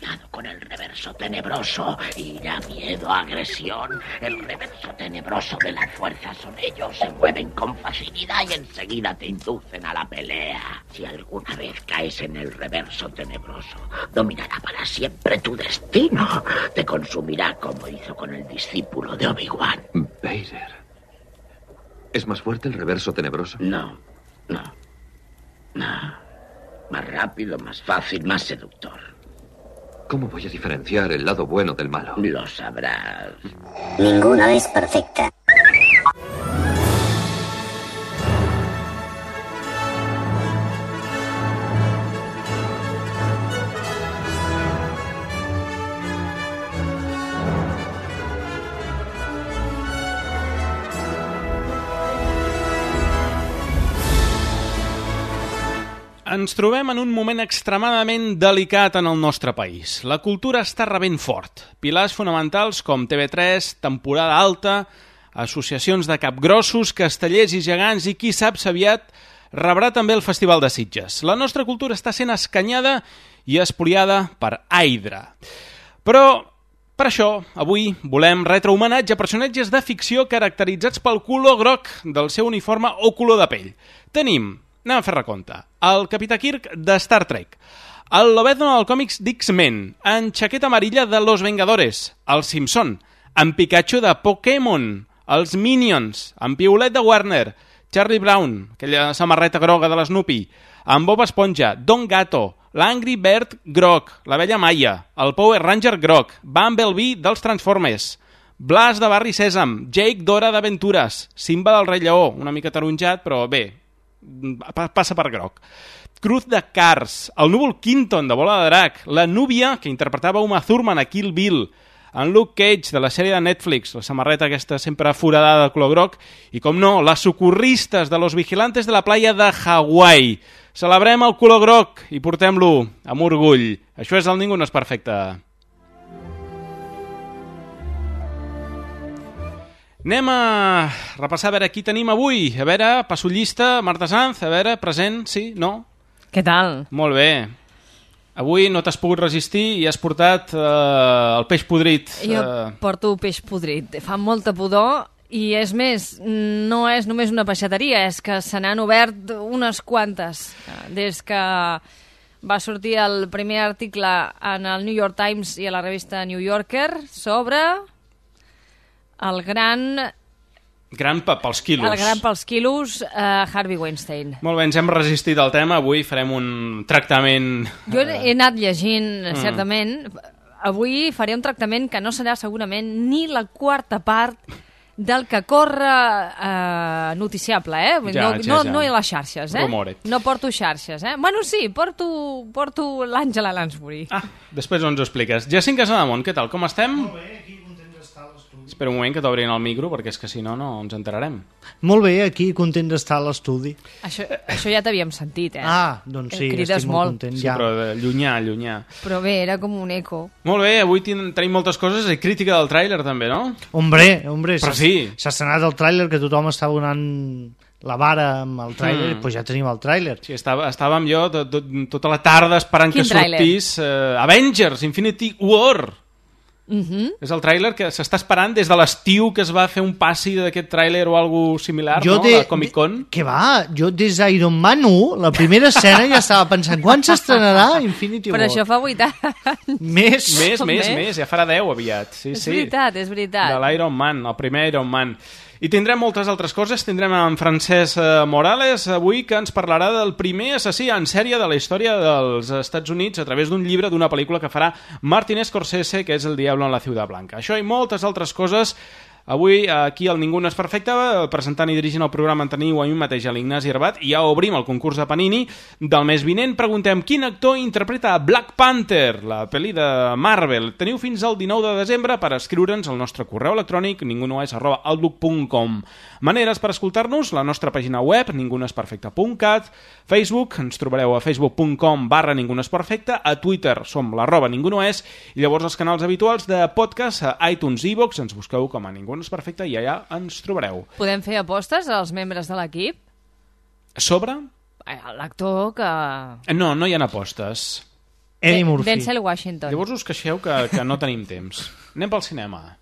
contaminado con el reverso tenebroso. Ira, miedo, agresión. El reverso tenebroso de las fuerzas son ellos. Se mueven con facilidad y enseguida te inducen a la pelea. Si alguna vez caes en el reverso tenebroso, dominará para siempre tu destino. Te consumirá como hizo con el discípulo de Obi-Wan. Vader. ¿Es más fuerte el reverso tenebroso? No. Más rápido, más fácil, más seductor. ¿Cómo voy a diferenciar el lado bueno del malo? Lo sabrás. Ninguna es perfecta. Ens trobem en un moment extremadament delicat en el nostre país. La cultura està rebent fort. Pilars fonamentals com TV3, temporada alta, associacions de capgrossos, castellers i gegants i qui sap si aviat rebrà també el Festival de Sitges. La nostra cultura està sent escanyada i espoliada per Hydra. Però per això, avui volem retre homenatge a personatges de ficció caracteritzats pel color groc del seu uniforme o color de pell. Anem a fer recompte. El Capità Kirk de Star Trek, el Lobezno del còmics d'X-Men, en Chaqueta Amarilla de Los Vengadores, el Simpson, en Pikachu de Pokémon, els Minions, en Piulet de Warner, Charlie Brown, aquella samarreta groga de l'Snoopy, en Bob Esponja, Don Gato, l'Angry Bird groc, la Bella Maia, el Power Ranger groc, Bumblebee dels Transformers, Blas de Barri Sèsam, Jake Dora d'Aventures, Simba del Rei Lleó, una mica taronjat, però bé, passa per groc. Cruz de Cars, el Núvol Quinton de Bola de Drac, la Núvia, que interpretava Uma Thurman a Kill Bill, en Luke Cage de la sèrie de Netflix, la samarreta aquesta sempre foradada de color groc, i com no, les socorristes de Los Vigilantes de la Playa de Hawaii. Celebrem el color groc i portem-lo amb orgull. Això és el Ningú no és perfecte. Anem a repassar a veure qui tenim avui. A veure, passo llista, Marta Sanz, a veure, present, sí, no? Què tal? Molt bé. Avui no t'has pogut resistir i has portat el peix podrit. Jo porto peix podrit. Fa molta pudor i és més, no és només una peixateria, és que se n'han obert unes quantes. Des que va sortir el primer article en el New York Times i a la revista New Yorker sobre el gran pels quilos. El gran pels quilos, Harvey Weinstein. Molt bé, ens hem resistit al tema. Avui farem un tractament... Jo he anat llegint, certament. Avui faré un tractament que no serà segurament ni la quarta part del que corre noticiable, No a les xarxes, Rumoret. No porto xarxes, Bueno, sí, porto l'Àngela Lansbury. Després ens ho expliques. Jacint Casademont, què tal? Com estem? Molt bé, aquí content d'estar a l'estudi. Espera un moment que t'obrin el micro, perquè és que si no, no ens enterarem. Molt bé, aquí content d'estar a l'estudi. Això ja t'havíem sentit, Ah, doncs sí, crides estic molt content. Sí, però llunyà. Però bé, era com un eco. Molt bé, avui tenim moltes coses i crítica del tràiler també, no? Hombre, però sí. S'ha estrenat el tràiler que tothom està donant la vara amb el tràiler, doncs ja tenim el tràiler. Sí, estàvem jo tota la tarda esperant que sortís Avengers, Infinity War. És el tràiler que s'està esperant des de l'estiu, que es va fer un passi d'aquest tràiler o alguna similar, no? A Comic Con. Que va, jo des d'Iron Man 1, la primera escena ja estava pensant quan s'estrenarà Infinity War. Però això fa 8 anys. Més, ja farà 10 aviat. Sí, és veritat. De l'Iron Man, el primer Iron Man. I tindrem moltes altres coses. Tindrem en Francesc Morales avui, que ens parlarà del primer assassí en sèrie de la història dels Estats Units a través d'un llibre, d'una pel·lícula que farà Martin Scorsese, que és El Diablo en la Ciutat Blanca. Això i moltes altres coses. Avui, aquí al Ningú no és perfecte, presentant i dirigint el programa en teniu a mi mateix, a l'Ignasi Herbat, i ja obrim el concurs de Panini del mes vinent. Preguntem quin actor interpreta Black Panther, la pel·li de Marvel. Teniu fins al 19 de desembre per escriure'ns al nostre correu electrònic ningunoes@outlook.com. Maneres per escoltar-nos, la nostra pàgina web ningunoesperfecte.cat, Facebook, ens trobareu a facebook.com/ningunoesperfecte, a Twitter som @ningunoes, i llavors els canals habituals de podcast a iTunes i iVoox, ens busqueu com a Ningú no és perfecte i allà ens trobareu. Podem fer apostes als membres de l'equip? Sobre? L'actor que... No hi ha apostes. Eddie Murphy. Denzel Washington. Llavors us queixeu que no tenim temps. Anem pel cinema.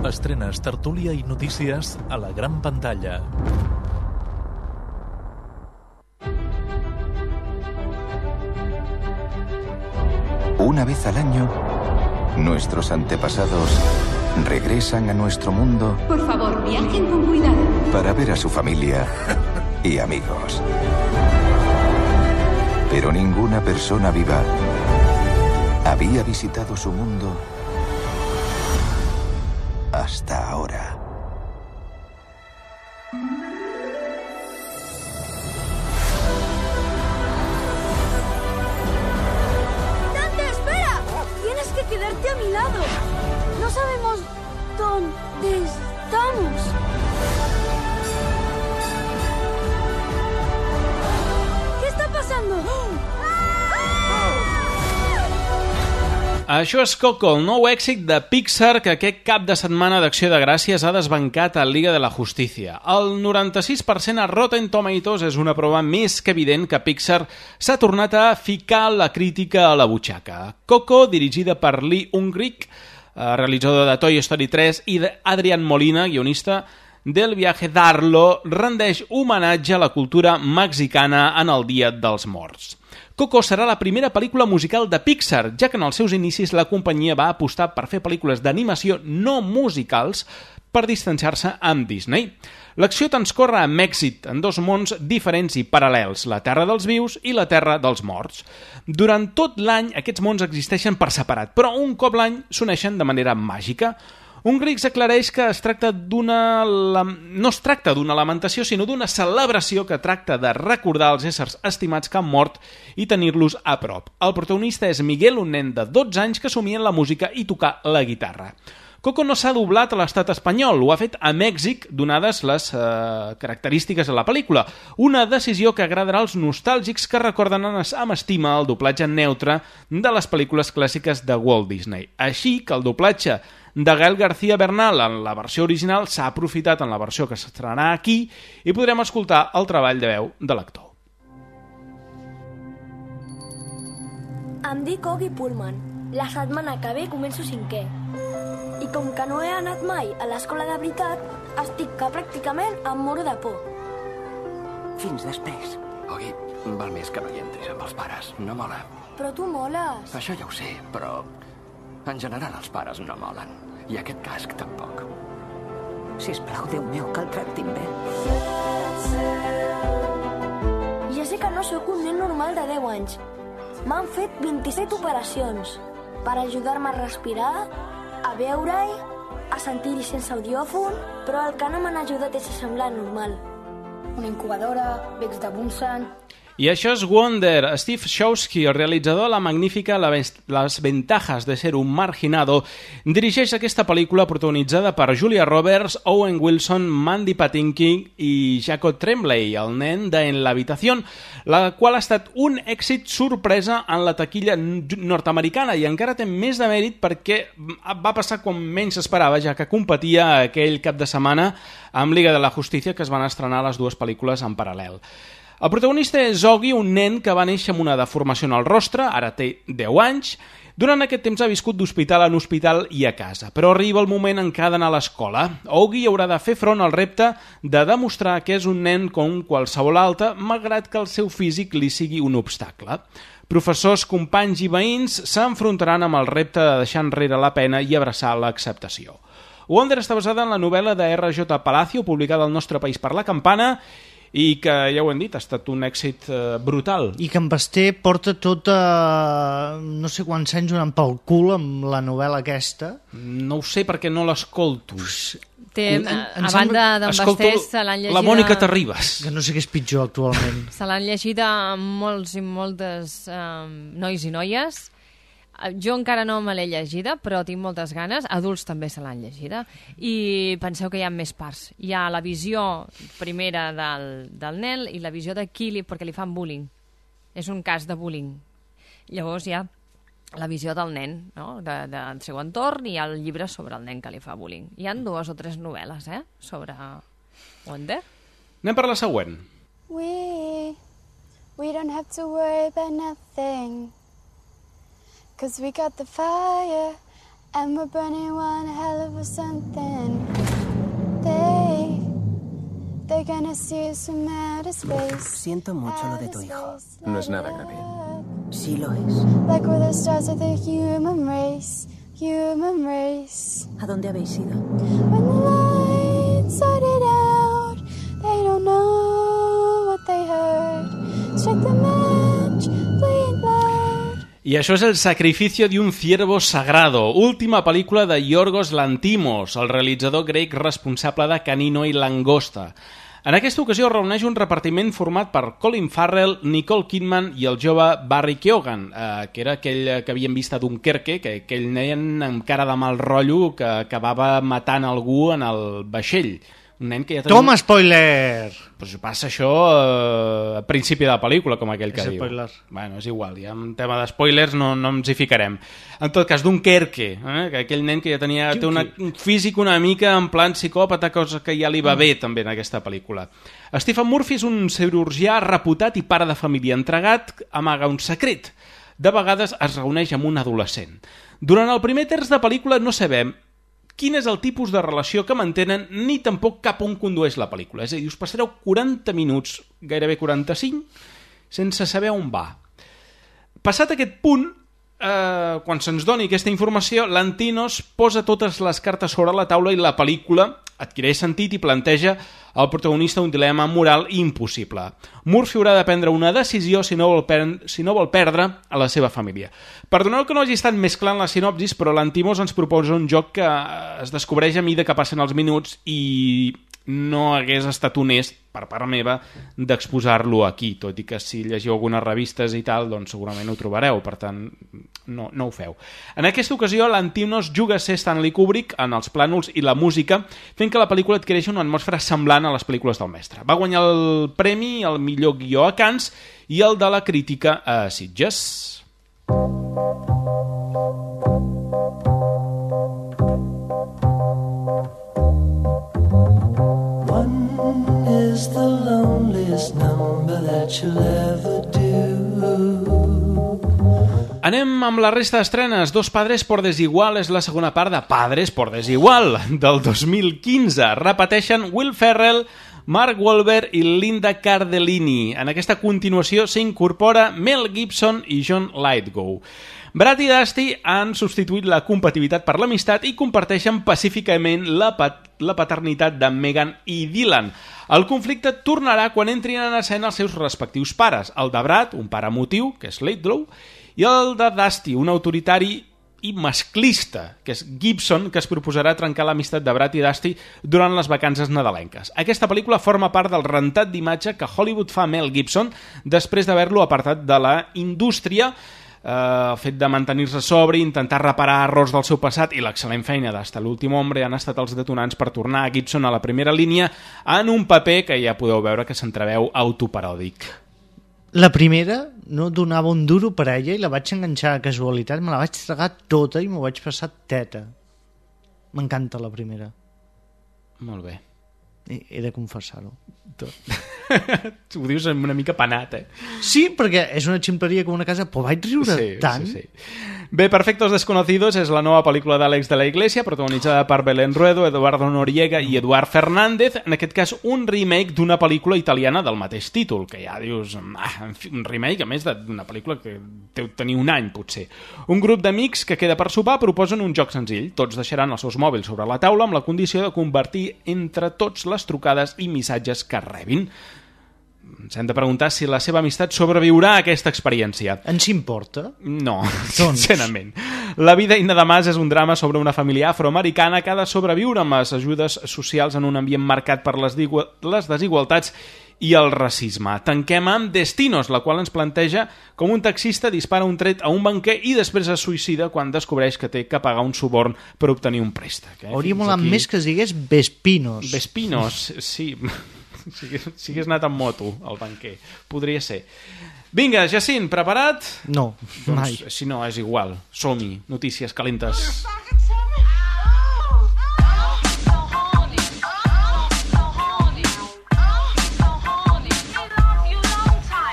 Estrenes, tertúlia y noticias a la gran pantalla. Una vez al año, nuestros antepasados regresan a nuestro mundo. Por favor, viajen con cuidado. Para ver a su familia y amigos. Pero ninguna persona viva había visitado su mundo hasta ahora. ¡Dante, espera! Tienes que quedarte a mi lado. No sabemos dónde estamos. ¿Qué está pasando? Això és Coco, el nou èxit de Pixar que aquest cap de setmana d'Acció de Gràcies ha desbancat a Liga de la Justícia. El 96% a Rotten Tomatoes és una prova més que evident que Pixar s'ha tornat a ficar la crítica a la butxaca. Coco, dirigida per Lee Unkrich, realitzador de Toy Story 3, i d'Adrian Molina, guionista del Viaje d'Arlo, rendeix homenatge a la cultura mexicana en el Dia dels Morts. Coco serà la primera pel·lícula musical de Pixar, ja que en els seus inicis la companyia va apostar per fer pel·lícules d'animació no musicals per distanciar-se amb Disney. L'acció transcorre amb èxit en dos mons diferents i paral·lels, la Terra dels Vius i la Terra dels Morts. Durant tot l'any aquests mons existeixen per separat, però un cop l'any s'uneixen de manera màgica. Unkrich aclareix que no es tracta d'una lamentació, sinó d'una celebració que tracta de recordar els éssers estimats que han mort i tenir-los a prop. El protagonista és Miguel, un nen de 12 anys que somia en la música i tocar la guitarra. Coco no s'ha doblat a l'estat espanyol, ho ha fet a Mèxic, donades les característiques de la pel·lícula. Una decisió que agradarà als nostàlgics que recorden amb estima el doblatge neutre de les pel·lícules clàssiques de Walt Disney. Així que el doblatge de Gael García Bernal en la versió original s'ha aprofitat en la versió que s'estrenarà aquí i podrem escoltar el treball de veu de l'actor. Em dic Oggy Pullman. La setmana que ve començo 5è. I com que no he anat mai a l'escola de veritat, estic que pràcticament em moro de por. Fins després. Oggy, val més que no hi entris amb els pares. No mola. Però tu moles. Això ja ho sé, però en general els pares no molen. I aquest casc tampoc. Sisplau, Déu meu, que el tractin bé. Ja sé que no sóc un nen normal de 10 anys. M'han fet 27 operacions per ajudar-me a respirar, a veure-hi, a sentir-hi sense audiòfon, però el que no m'han ajudat és a semblar normal. Una incubadora, becs de Bunsen... I això és Wonder. Steve Showski, el realitzador de la magnífica Las ventajas de ser un marginado, dirigeix aquesta pel·lícula protagonitzada per Julia Roberts, Owen Wilson, Mandy Patinkin i Jacob Tremblay, el nen de En la habitación, la qual ha estat un èxit sorpresa en la taquilla nord-americana i encara té més de mèrit perquè va passar quan menys s'esperava, ja que competia aquell cap de setmana amb Liga de la Justícia, que es van estrenar les dues pel·lícules en paral·lel. El protagonista és Oggy, un nen que va néixer amb una deformació en el rostre, ara té 10 anys. Durant aquest temps ha viscut d'hospital en hospital i a casa, però arriba el moment en què ha d'anar a l'escola. Oggy haurà de fer front al repte de demostrar que és un nen com qualsevol altre, malgrat que el seu físic li sigui un obstacle. Professors, companys i veïns s'enfrontaran amb el repte de deixar enrere la pena i abraçar l'acceptació. Wonder està basada en la novel·la de R.J. Palacio, publicada al nostre país per La Campana, i que, ja ho hem dit, ha estat un èxit brutal. I que en Basté porta tot no sé quants anys donant pel cul amb la novel·la aquesta. No ho sé perquè no l'escolto. A banda d'en Basté se l'han llegida... La Mònica Terribas. Que no sé què és pitjor actualment. Se l'han llegida molts i moltes nois i noies. Jo encara no me l'he llegida, però tinc moltes ganes. Adults també se l'han llegida. I penseu que hi ha més parts. Hi ha la visió primera del nen i la visió de qui perquè li fan bullying. És un cas de bullying. Llavors hi ha la visió del nen, no? Del seu entorn, i el llibre sobre el nen que li fa bullying. Hi ha 2 o 3 novel·les, sobre Wonder. Anem per la següent. We don't have to worry about nothing, 'cause we got the fire and we're burning one hell of a something. They're gonna see us from outer space. Siento mucho lo de tu hijo. No es nada grave. Sí lo es. Like we're the stars of the human race. ¿A dónde habéis ido? When the lights started out, they don't know what they heard. Strike the match, play it loud. I això és El sacrificio de un ciervo sagrado, última pel·lícula de Yorgos Lanthimos, el realitzador grec responsable de Canino i Langosta. En aquesta ocasió reuneix un repartiment format per Colin Farrell, Nicole Kidman i el jove Barry Keoghan, que era aquell que havíem vist a Dunkerque, aquell nen amb cara de mal rotllo que acabava matant algú en el vaixell. Un nen que ja tenia... Toma, spoiler! Pues passa això a principi de la pel·lícula, com aquell que diu. Spoiler. Bueno, és igual, ja en tema de spoilers no ens hi ficarem. En tot cas, Dunkerque, que aquell nen que ja tenia té un físic una mica en plan psicòpata, cosa que ja li va bé també en aquesta pel·lícula. Stephen Murphy és un cirurgià reputat i pare de família entregat, amaga un secret. De vegades es reuneix amb un adolescent. Durant el primer terç de pel·lícula no sabem quin és el tipus de relació que mantenen ni tampoc cap on condueix la pel·lícula. És a dir, us passareu 40 minuts, gairebé 45, sense saber on va. Passat aquest punt, quan se'ns doni aquesta informació, Lanthimos posa totes les cartes sobre la taula i la pel·lícula adquireix sentit i planteja al protagonista un dilema moral impossible. Murphy haurà de prendre una decisió si no vol perdre a la seva família. Perdoneu que no hagi estat més clar en la sinopsis, però Lanthimos ens proposa un joc que es descobreix a mida que passen els minuts i no hagués estat honest, per part meva, d'exposar-lo aquí, tot i que si llegiu algunes revistes i tal, doncs segurament ho trobareu, per tant, no ho feu. En aquesta ocasió, Lanthimos juga a ser Stanley Kubrick en els plànols i la música, fent que la pel·lícula adquireixi una atmosfera semblant a les pel·lícules del mestre. Va guanyar el premi al millor guió a Cannes i el de la crítica a Sitges. Is the loneliest number that you'll ever do. Anem amb la resta d'estrenes. Dos padres por desigual és la segona part de Padres por desigual, del 2015. Repeteixen Will Ferrell, Mark Wahlberg i Linda Cardellini. En aquesta continuació s'incorpora Mel Gibson i John Lithgow. Brad i Dusty han substituït la compatibilitat per l'amistat i comparteixen pacíficament la paternitat de Megan i Dylan. El conflicte tornarà quan entrin en escena els seus respectius pares, el de Brad, un pare emotiu, que és Lithgow, i el de Dusty, un autoritari i masclista, que és Gibson, que es proposarà trencar l'amistat de Brad i Dusty durant les vacances nadalenques. Aquesta pel·lícula forma part del rentat d'imatge que Hollywood fa a Mel Gibson després d'haver-lo apartat de la indústria. El fet de mantenir-se sobri, intentar reparar errors del seu passat i l'excel·lent feina d'Hasta l'últim hombre han estat els detonants per tornar a Gibson a la primera línia en un paper que ja podeu veure que s'entreveu autoparòdic. La primera no donava un duro per ella i la vaig enganxar a casualitat, me la vaig tragar tota i m'ho vaig passar teta. M'encanta la primera. Molt bé. He de confessar-ho. Ho dius una mica penat, eh? Sí, perquè és una ximpleria com una casa, però vaig riure tant. Sí. Bé, Perfectos Desconocidos és la nova pel·lícula d'Àlex de la Iglesia, protagonitzada per Belén Ruedo, Eduardo Noriega i Eduard Fernández, en aquest cas un remake d'una pel·lícula italiana del mateix títol, que ja dius, en fi, un remake a més d'una pel·lícula que deu tenir un any, potser. Un grup d'amics que queda per sopar proposen un joc senzill. Tots deixaran els seus mòbils sobre la taula amb la condició de convertir entre tots les trucades i missatges que rebin. Ens hem de preguntar si la seva amistat sobreviurà a aquesta experiència. Ens importa? No, sincerament. La vida Inna de Mas és un drama sobre una família afroamericana que ha de sobreviure amb les ajudes socials en un ambient marcat per les desigualtats i el racisme. Tanquem amb Destinos, la qual ens planteja com un taxista dispara un tret a un banquer i després es suïcida quan descobreix que té que pagar un suborn per obtenir un préstec. Hauria molat més que es digués Vespinos. Vespinos, sí. Si hagués anat amb moto, el banquer. Podria ser. Vinga, Jacint, preparat? No, mai. Doncs, si no, és igual. Som-hi, notícies calentes.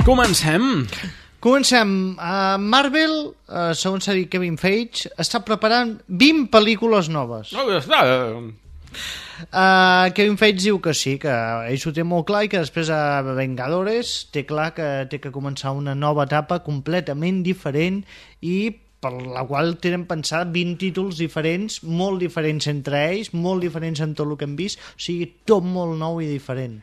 Comencem. Marvel, segons s'ha dit Kevin Feige, està preparant 20 pel·lícules noves. Kevin Feige diu que sí, que ell ho té molt clar i que després a Vengadores té clar que té que començar una nova etapa completament diferent i per la qual tenen pensat 20 títols diferents, molt diferents entre ells, molt diferents en tot el que hem vist, o sigui, tot molt nou i diferent.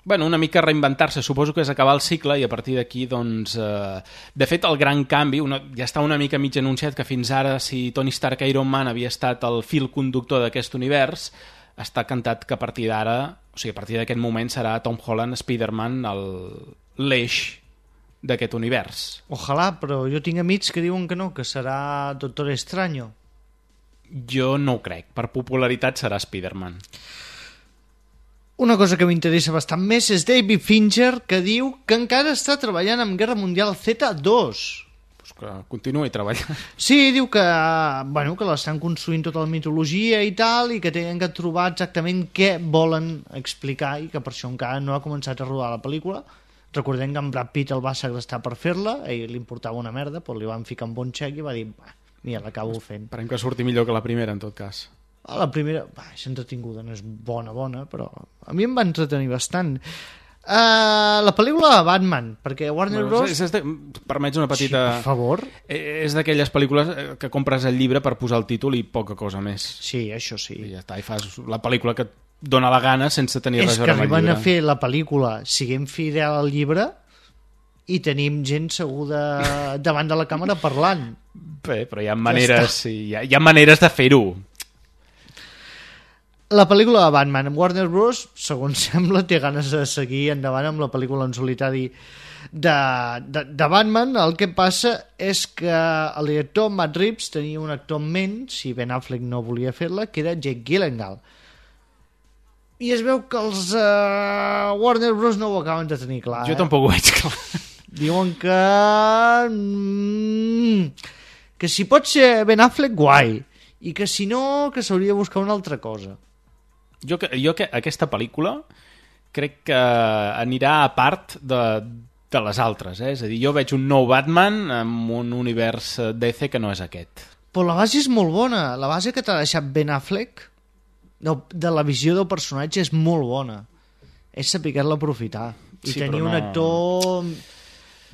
Bueno, una mica reinventar-se, suposo que és acabar el cicle i a partir d'aquí, doncs... de fet, el gran canvi, ja està una mica mig anunciat que fins ara, si Tony Stark Iron Man havia estat el fil conductor d'aquest univers, està cantat que a partir d'ara, o sigui, a partir d'aquest moment serà Tom Holland, Spider-Man, l'eix d'aquest univers. Ojalà, però jo tinc amics que diuen que no, que serà Doctor Extraño. Jo no ho crec, per popularitat serà Spider-Man. Una cosa que m'interessa bastant més és David Fincher, que diu que encara està treballant en Guerra Mundial Z2. Pues que continuï treballant. Sí, diu que, bueno, que l'estan construint tota la mitologia i tal, i que tenen que trobar exactament què volen explicar i que per això encara no ha començat a rodar la pel·lícula. Recordem que en Brad Pitt el va segrestar per fer-la, a ell li importava una merda, però li van ficar un bon xec i va dir, mira, l'acabo fent. Esperem que surti millor que la primera, en tot cas. La primera, és entretinguda, no és bona, però a mi em va entretenir bastant. La pel·lícula de Batman, perquè Warner Bros... Permets una petita... Sí, per favor. És d'aquelles pel·lícules que compres el llibre per posar el títol i poca cosa més. Sí, això sí. I ja està, i fas la pel·lícula que et dona la gana sense tenir res a veure amb el llibre. És que arriben a fer la pel·lícula siguem fidel al llibre i tenim gent seguda davant de la càmera parlant. Bé, però hi ha maneres, hi ha maneres de fer-ho. La pel·lícula de Batman, Warner Bros, segons sembla, té ganes de seguir endavant amb la pel·lícula en solitari de Batman. El que passa és que el director Matt Reeves tenia un actor en ment, si Ben Affleck no volia fer-la, que era Jake Gyllenhaal. I es veu que els Warner Bros no ho acaben de tenir clar. Jo tampoc ho veig clar. Diuen que si pot ser Ben Affleck, guai, i que si no, que s'hauria de buscar una altra cosa. Jo que aquesta pel·lícula crec que anirà a part de les altres, és a dir, jo veig un nou Batman amb un univers DC que no és aquest. Però la base és molt bona, la base que t'ha deixat Ben Affleck de la visió del personatge és molt bona, és saber-la aprofitar i sí, tenir un actor...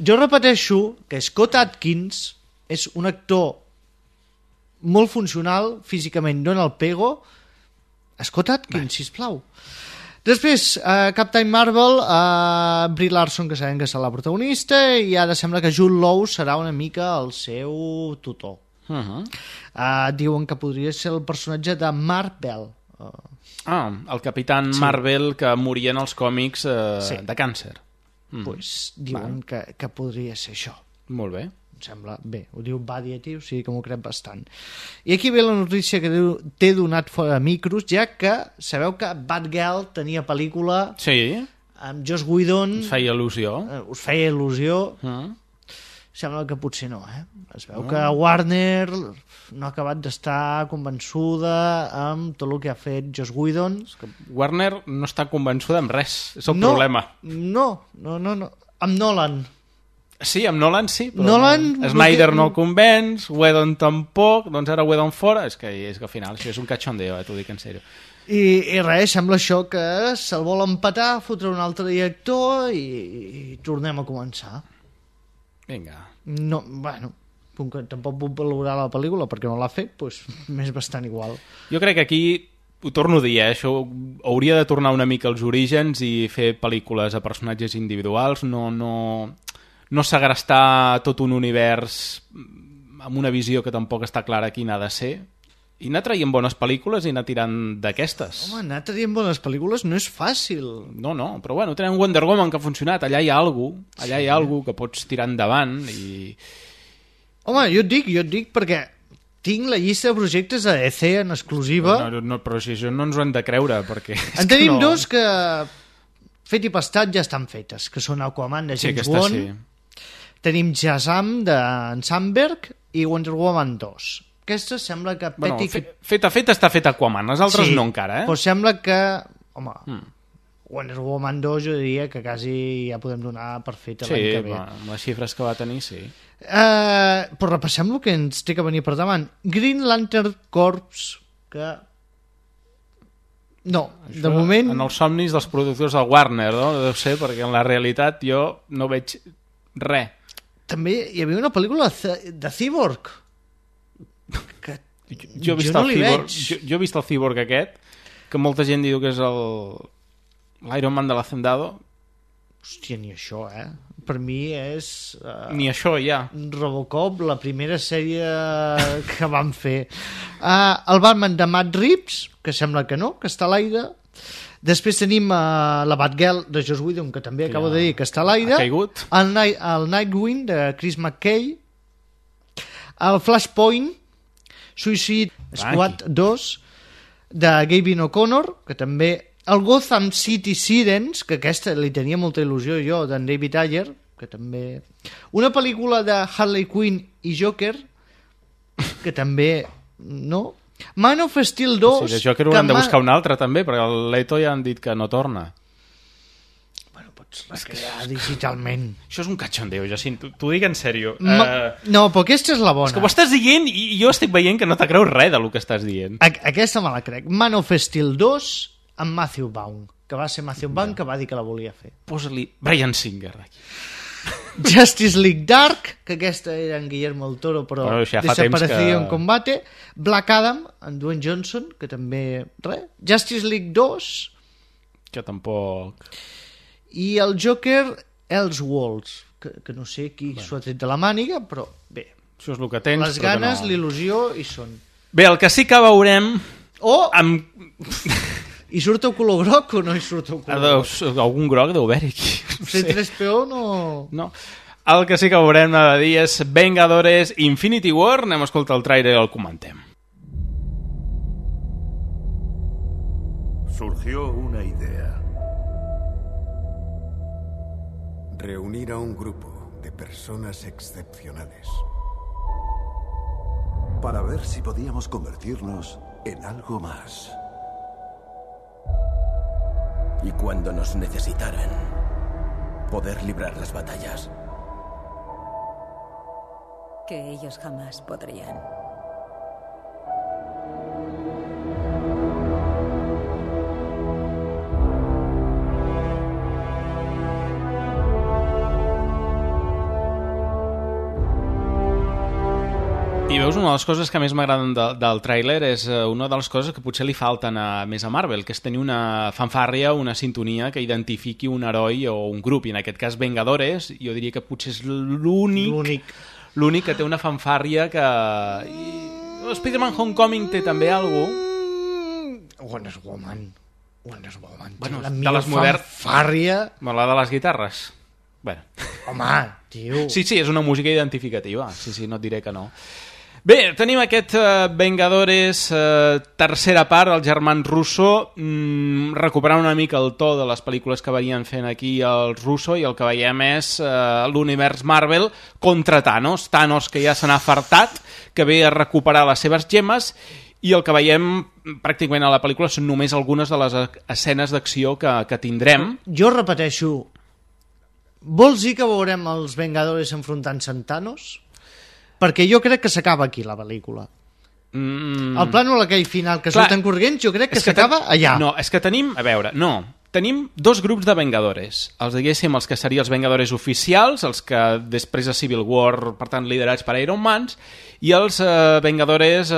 Jo repeteixo que Scott Adkins és un actor molt funcional físicament, dona el pego. Scott Adkins, sisplau. Després, Captain Marvel, Brie Larson, que sabem que serà la protagonista, i ara sembla que Jude Law serà una mica el seu tutor. Diuen que podria ser el personatge de Mark Bell. El Capitán Marvel que moria en els còmics de càncer. Pues diuen que podria ser això. Molt bé. Em sembla bé, ho diu Variety, o sigui que m'ho crec bastant. I aquí ve la notícia que t'he donat fora de micros, ja que sabeu que Batgirl tenia pel·lícula amb Joss Whedon. Us feia il·lusió. Sembla que potser no, Es veu que Warner no ha acabat d'estar convençuda amb tot el que ha fet Joss Whedon. Warner no està convençuda amb res, és el problema. No. Amb Nolan. Sí, amb Nolan sí, però Snyder no el convenç, Whedon tampoc, doncs ara Whedon fora, és que al final això és un cachondeo, t'ho dic en sèrio. I res, sembla això que se'l vol empatar, fotre un altre director i tornem a començar. Vinga. No, bueno, com que tampoc puc valorar la pel·lícula perquè no l'ha fet, doncs m'és bastant igual. Jo crec que aquí, ho torno a dir, això hauria de tornar una mica als orígens i fer pel·lícules a personatges individuals, no segrestar tot un univers amb una visió que tampoc està clara quina ha de ser, i anar traient bones pel·lícules i anar tirant d'aquestes. Home, anar traient bones pel·lícules no és fàcil. No, però bueno, tenen Wonder Woman que ha funcionat, allà hi ha alguna que pots tirar endavant i... Home, jo et dic perquè tinc la llista de projectes de DC en exclusiva. No, però si això no ens ho hem de creure, perquè... En tenim dos que, fet i pastat, ja estan fetes, que són Aquaman de James Wan. Sí. Tenim Shazam d'en Sandberg i Wonder Woman 2. Aquesta sembla que... Feta està feta Aquaman, les altres no encara, Però sembla que... Home, Wonder Woman 2 jo diria que quasi ja podem donar per fet l'any que ve. Sí, amb les xifres que va tenir, sí. Però repassem el que ens té que venir per davant. Green Lantern Corps, que... No, això, de moment... En els somnis dels productors del Warner, no? Deu ser, perquè en la realitat jo no veig res. També hi havia una pel·lícula de Cyborg. Que jo he vist no el li Cyborg, veig. jo he vist el Cyborg aquest, que molta gent diu que és l'Iron Man de l'Hacendado. Hòstia, ni això, Per mi és... Ni això, ja. Robocop, la primera sèrie que van fer. El Batman de Matt Reeves, que sembla que no, que està a l'aire. Després tenim la Batgirl de Joss Whedon, que també acabo de dir que està a l'aire. Ha caigut. El Nightwing de Chris McKay. El Flashpoint, Suicide Squad 2 de Gavin O'Connor, que també... El Gotham City Sirens, que aquesta li tenia molta il·lusió jo, d'en David Ayer, que també... Una pel·lícula de Harley Quinn i Joker, que també... No? Man of Steel 2... Sí, de Joker haurem de buscar un altre, també, perquè el Leto ja han dit que no torna. Bueno, pots recrear digitalment. Això és un cachondeo, Jacint, t'ho dic en sèrio. No, però aquesta és la bona. És que ho estàs dient i jo estic veient que no te creus res del que estàs dient. Aquesta me la crec. Man of Steel 2 amb Matthew Vaughn, que va ser Matthew Vaughn que va dir que la volia fer. Posa-li Bryan Singer aquí. Justice League Dark, que aquesta era en Guillermo del Toro, però ja desapareció en combate. Black Adam, en Dwayne Johnson, que també... Justice League 2... Que tampoc... I el Joker, Elseworlds, que no sé qui s'ho ha tret de la màniga, però bé. Això és el que tens, les ganes, l'il·lusió hi són. Bé, el que sí que veurem... I surt el color groc o no hi surt el color groc? Algun groc deu haver-hi aquí. C3PO no... No. El que sí que veurem de dir és Vengadores Infinity War. Anem a escoltar el trailer i el comentem. Surgió una idea. Reunir a un grupo de personas excepcionales. Para ver si podíamos convertirnos en algo más. Y cuando nos necesitaran, poder librar las batallas. Que ellos jamás podrían. I veus, una de les coses que més m'agraden del tràiler és una de les coses que potser li falten més a Marvel, que és tenir una fanfàrria, una sintonia que identifiqui un heroi o un grup, i en aquest cas Vengadores, jo diria que potser és l'únic que té una fanfàrria que... Spider-Man Homecoming té també alguna cosa. Wonder Woman. Bueno, la millor fanfàrria... La de les guitarres. Bueno. Home, tio... Sí, és una música identificativa. Sí, no et diré que no. Bé, tenim aquest Vengadores tercera part, els germans Russo, recuperant una mica el to de les pel·lícules que venien fent aquí els Russo, i el que veiem és l'univers Marvel contra Thanos. Thanos, que ja se n'ha fartat, que ve a recuperar les seves gemmes, i el que veiem pràcticament a la pel·lícula són només algunes de les escenes d'acció que tindrem. Jo repeteixo, vols dir que veurem els Vengadores enfrontant-se amb Thanos? Perquè jo crec que s'acaba aquí la pel·lícula. El plànol aquell final que surten corrents, jo crec que s'acaba allà. No, és que tenim, a veure, tenim dos grups de Vengadores. Els que serien els Vengadores oficials, els que després de Civil War, per tant, liderats per Iron Man, i els Vengadores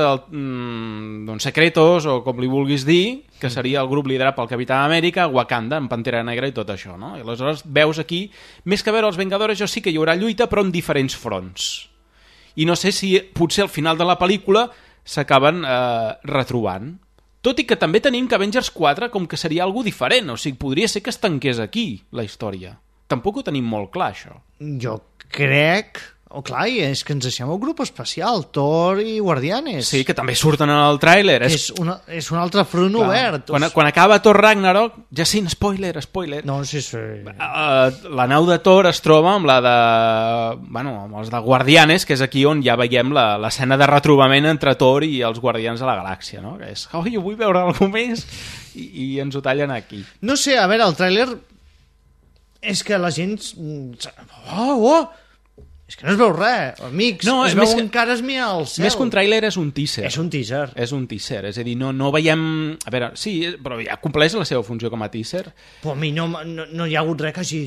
secretos, o com li vulguis dir, que seria el grup liderat pel Capità Amèrica, Wakanda, amb Pantera Negra i tot això, no? I aleshores veus aquí, més que veure els Vengadores, jo sí que hi haurà lluita, però en diferents fronts. I no sé si potser al final de la pel·lícula s'acaben retrobant. Tot i que també tenim que Avengers 4 com que seria algo diferent, o sigui, podria ser que es tanqués aquí la història. Tampoc ho tenim molt clar, això. Jo crec, Oh, clar, i és que ens deixem el grup especial, Thor i Guardianes. Sí, que també surten en el tràiler. És un altre front obert. Quan acaba Thor Ragnarok, ja sí, spoiler. No, sí. La nau de Thor es troba amb la de... Bueno, amb els de Guardianes, que és aquí on ja veiem l'escena de retrobament entre Thor i els Guardians de la Galàxia, no? Que és, jo vull veure alguna més, i ens ho tallen aquí. No sé, a veure, el tràiler és que la gent... És que no es veu res, amics, no, es veu encara esmiar al cel. Més que un tràiler és un teaser. És un teaser. És un teaser, és a dir, no veiem... A veure, sí, però ja compleix la seva funció com a teaser. Però a mi no hi ha hagut res que hagi...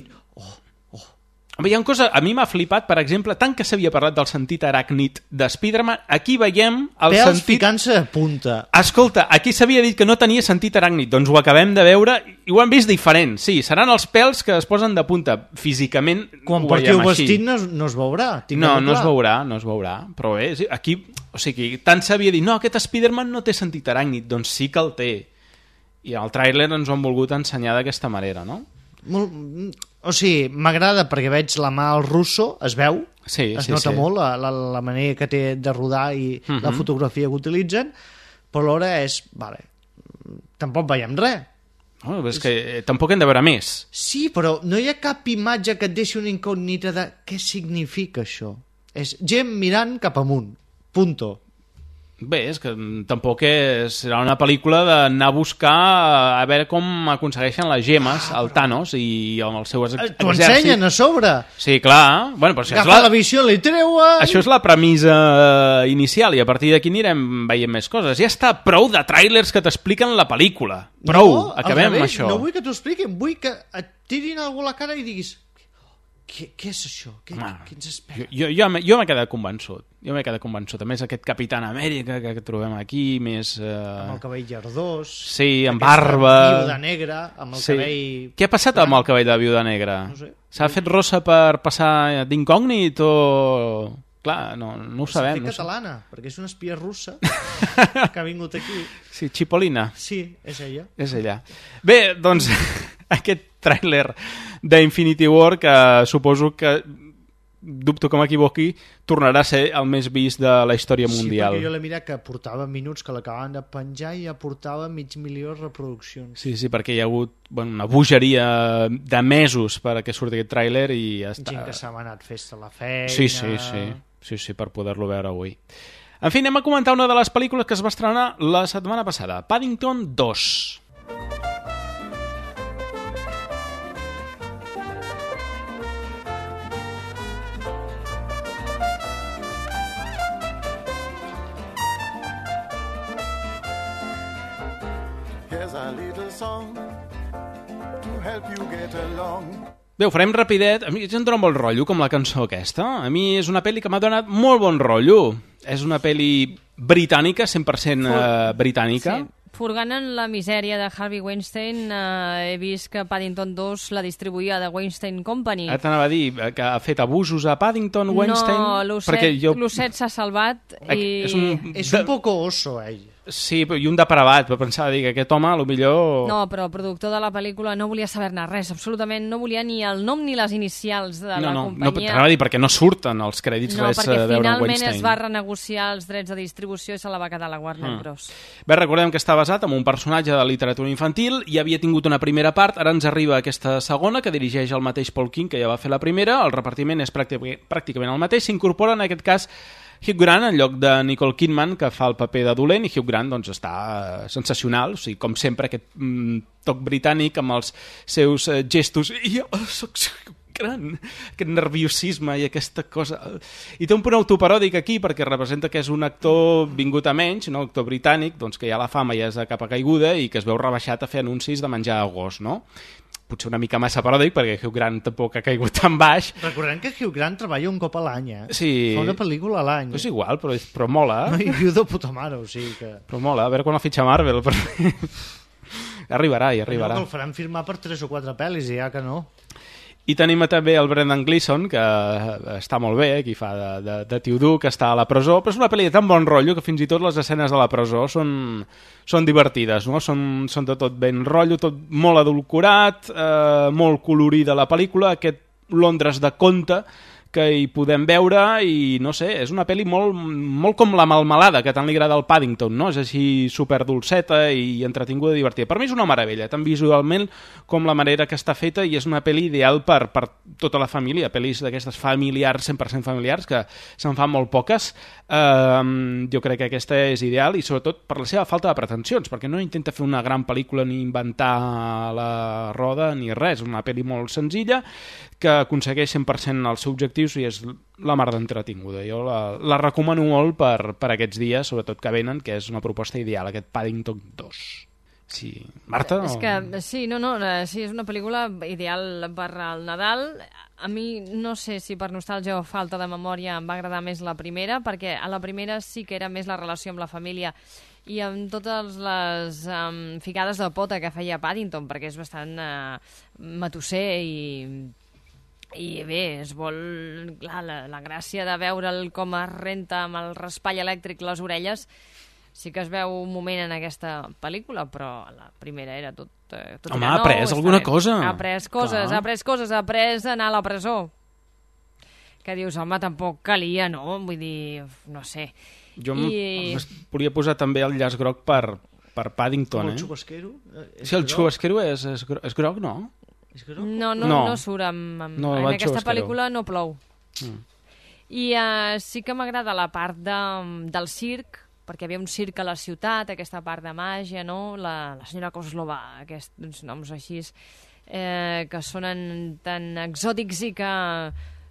Hi ha una cosa, a mi m'ha flipat, per exemple, tant que s'havia parlat del sentit aràcnid de Spider-Man, aquí veiem el pèls sentit... ficant-se a punta. Escolta, aquí s'havia dit que no tenia sentit aràcnid, doncs ho acabem de veure i ho hem vist diferent. Sí, seran els pèls que es posen de punta. Físicament quan portiu vestit no es veurà. No es veurà. Però bé, aquí, o sigui, tant s'havia dit, no, aquest Spider-Man no té sentit aràcnid, doncs sí que el té. I el tràiler ens ho han volgut ensenyar d'aquesta manera, no? O sigui, m'agrada perquè veig la mà al russo, es veu, es nota molt la manera que té de rodar i la fotografia que utilitzen, però alhora és, vale, tampoc veiem res. No, és que tampoc hem de veure més. Sí, però no hi ha cap imatge que et deixi una incògnita de què significa això. És gent mirant cap amunt, punto. Bé, és que tampoc serà una pel·lícula d'anar a buscar a veure com aconsegueixen les gemes al Thanos i amb els seus exèrcits. T'ho ensenyen a sobre. Sí, clar. Bueno, però agafa la visió, li treuen... Això és la premissa inicial i a partir d'aquí anirem veient més coses. Ja està, prou de tràilers que t'expliquen la pel·lícula. Prou, acabem amb això. No vull que t'ho expliquin, vull que et tirin algú a la cara i diguis... Què és això? Què ens espera? Jo m'he quedat convençut. A més, aquest Capitán Amèrica que trobem aquí, més... Amb el cabell llardós. Sí, amb barba... Viuda negra, amb el cabell... Què ha passat amb el cabell de Viuda Negra? No sé. S'ha fet rossa per passar d'incògnit o...? Clar, no ho sabem. És catalana, perquè és una espia russa que ha vingut aquí. Sí, Chipolina. Sí, és ella. És ella. Bé, doncs, aquest tràiler d'Infinity War, que suposo que, dubto que m'equivoqui, tornarà a ser el més vist de la història mundial. Sí, perquè jo l'he mirat que portava minuts que l'acabaven de penjar i ja portava 500.000 reproduccions. Sí, perquè hi ha hagut una bogeria de mesos perquè surti aquest tràiler i ja està. Gent que s'ha anat festa a la feina... Sí, per poder-lo veure avui. En fi, anem a comentar una de les pel·lícules que es va estrenar la setmana passada, Paddington 2. Bé, ho farem rapidet. A mi em dona molt rotllo com la cançó aquesta. A mi és una pel·li que m'ha donat molt bon rotllo. És una pel·li britànica, 100% britànica. Sí. Furgant en la misèria de Harvey Weinstein, he vist que Paddington 2 la distribuïa de Weinstein Company. Ara t'anava a dir que ha fet abusos a Paddington, Weinstein... No, l'osset s'ha salvat i... És un poco oso, ell. Sí, i un depravat, però pensava dir que aquest home, potser... No, però el productor de la pel·lícula no volia saber-ne res, absolutament no volia ni el nom ni les inicials de la companyia. No, t'anava a dir, perquè no surten els crèdits res a veure amb Weinstein. No, perquè finalment es va renegociar els drets de distribució i se la va quedar la Warner Bros. Bé, recordem que està basat en un personatge de literatura infantil, i havia tingut una primera part, ara ens arriba aquesta segona, que dirigeix el mateix Paul King, que ja va fer la primera, el repartiment és pràcticament el mateix, s'incorpora en aquest cas Hugh Grant en lloc de Nicole Kidman, que fa el paper de dolent, i Hugh Grant doncs, està sensacional, o sigui, com sempre aquest toc britànic amb els seus gestos, i jo soc gran, aquest nerviosisme i aquesta cosa, i té un punt autoparòdic aquí perquè representa que és un actor vingut a menys, no? Actor britànic, doncs que ja la fama ja és de capa caiguda i que es veu rebaixat a fer anuncis de menjar a gos, no? Potser una mica massa paròdic, perquè Hugh Grant tampoc ha caigut tan baix. Recordem que Hugh Grant treballa un cop a l'any, Sí. Fa una pel·lícula a l'any. És igual, però mola. No, i viu de puta mare, o sigui que... Però mola, a veure quan el fitxa Marvel. Arribarà. No, el faran firmar per 3 o 4 pel·lis, i ja que no. I tenim també el Brendan Gleeson, que està molt bé, qui fa de tio dur, que està a la presó, però és una pel·li de tan bon rotllo que fins i tot les escenes de la presó són divertides, no? Són de tot ben rotllo, tot molt adulcorat, molt colorida la pel·lícula, aquest Londres de conte que hi podem veure i no sé, és una pel·li molt com la Melmelada, que tant li agrada al Paddington, no? És així superdolceta i entretinguda i divertida. Per mi és una meravella, tant visualment com la manera que està feta, i és una pel·li ideal per tota la família, pel·lis d'aquestes familiars, 100% familiars, que se'n fan molt poques. Jo crec que aquesta és ideal, i sobretot per la seva falta de pretensions, perquè no intenta fer una gran pel·lícula ni inventar la roda ni res, una pel·li molt senzilla que aconsegueix 100% els seus objectius i és la mar d'entretinguda. Jo la recomano molt per aquests dies, sobretot que venen, que és una proposta ideal, aquest Paddington 2. Sí. Marta? És que, sí, sí, és una pel·lícula ideal per al Nadal. A mi no sé si per nostàlgia o falta de memòria em va agradar més la primera, perquè a la primera sí que era més la relació amb la família i amb totes les ficades de pota que feia Paddington, perquè és bastant matusser i bé, es vol... Clar, la gràcia de veure'l com es renta amb el raspall elèctric les orelles sí que es veu un moment en aquesta pel·lícula, però la primera era tot home, ha après alguna cosa. Ha après coses, ha après anar a la presó. Que dius, home, tampoc calia, no? Vull dir, no sé. Jo volia posar també el llaç groc per Paddington, el xubasquero? Sí, el xubasquero és groc, no? No surt. En aquesta pel·lícula no plou. I sí que m'agrada la part del circ, perquè hi havia un circ a la ciutat, aquesta part de màgia, no? La senyora Kozlova, aquests noms així, que sonen tan exòtics i que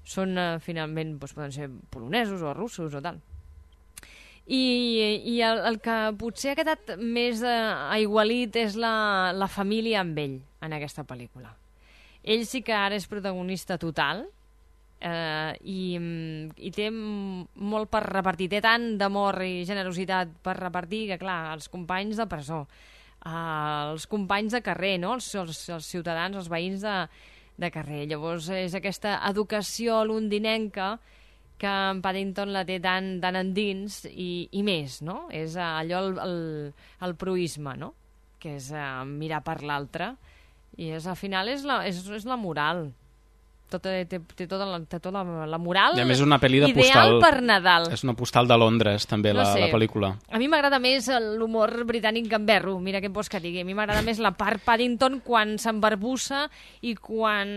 són, finalment, poden ser polonesos o russos o tal. I el que potser ha quedat més aigualit és la família amb ell en aquesta pel·lícula. Ell sí que ara és protagonista total i té molt per repartir, té tant d'amor i generositat per repartir que, clar, els companys de presó, els companys de carrer, no? els ciutadans, els veïns de carrer. Llavors és aquesta educació londinenca que en Paddington la té tan endins i més, no? És allò el proisme, no? Que és mirar per l'altre. I al final és la moral. Té tota la moral i a més una pel·li de ideal postal, per Nadal. És una postal de Londres, també, la pel·lícula. A mi m'agrada més l'humor britànic gamberro, mira què em vols que digui. A mi m'agrada més la part Paddington quan s'embarbussa i quan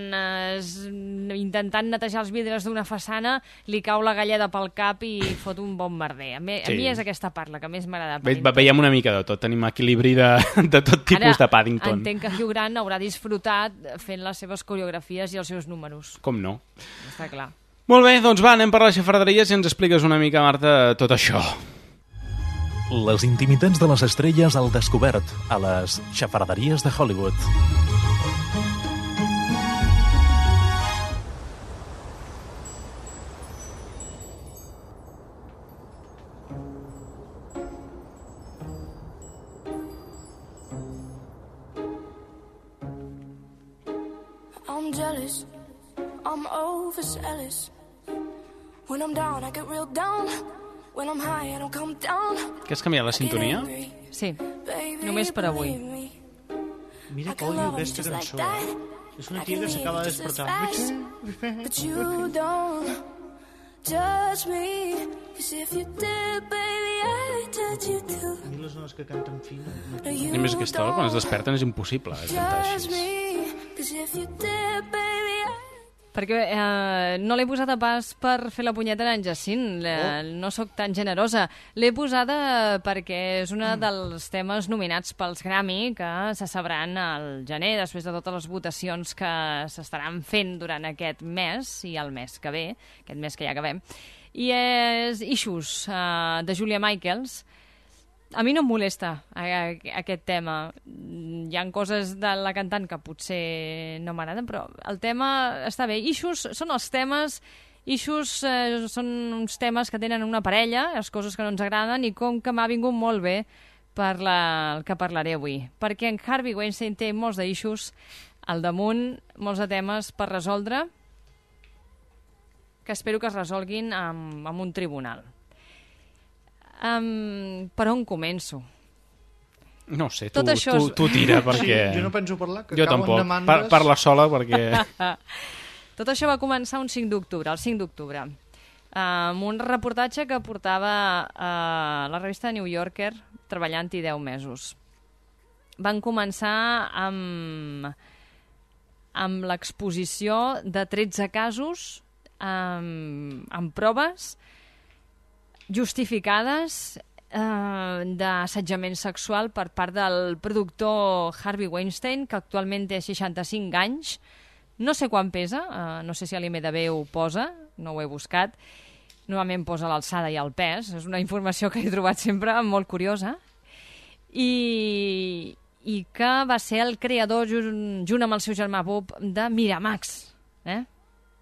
intentant netejar els vidres d'una façana li cau la galleda pel cap i fot un bon merder. A mi és aquesta part la que més m'agrada. Veiem una mica de tot, tenim equilibri de tot tipus de Paddington. Ara entenc que Hugh Grant haurà disfrutat fent les seves coreografies i els seus números. Com no? Està clar. Molt bé, doncs va, anem per les xafarderies i ens expliques una mica, Marta, tot això. Les intimitats de les estrelles al descobert a les xafarderies de Hollywood. I'm jealous, I'm overzealous. When I'm down, I get real down. When I'm high, I don't come down. Que has canviat la sintonia? Sí, només per avui. Mira que odio aquesta cançó. És una tia que s'acaba de despertar. But you don't judge me. 'Cause if you did, baby, I'd judge you too. A mi les dones que canten fina. I més aquesta hora, quan es desperten, és impossible cantar així. Perquè no l'he posada pas per fer la punyeta en Jacint, no sóc tan generosa. L'he posada perquè és un dels temes nominats pels Grammy que se sabran al gener, després de totes les votacions que s'estaran fent durant aquest mes i el mes que ve, aquest mes que ja acabem. I és Issues, de Julia Michaels. A mi no em molesta aquest tema. Hi ha coses de la cantant que potser no m'agraden, però el tema està bé. Issues són els temes... Issues són uns temes que tenen una parella, les coses que no ens agraden, i com que m'ha vingut molt bé per el que parlaré avui. Perquè en Harvey Weinstein té molts d'issues al damunt, molts de temes per resoldre, que espero que es resolguin amb un tribunal. Per on començo? No sé, tu tira, perquè... Jo no penso parlar, que jo cauen tampoc. demandes... Parla sola, perquè... Tot això va començar el 5 d'octubre, amb un reportatge que portava la revista New Yorker treballant-hi 10 mesos. Van començar amb l'exposició de 13 casos amb proves justificades d'assetjament sexual per part del productor Harvey Weinstein, que actualment té 65 anys. No sé quan pesa, no sé si a l'IMDb ho posa, no ho he buscat. Normalment posa l'alçada i el pes, és una informació que he trobat sempre molt curiosa. I que va ser el creador, junt amb el seu germà Bob, de Miramax.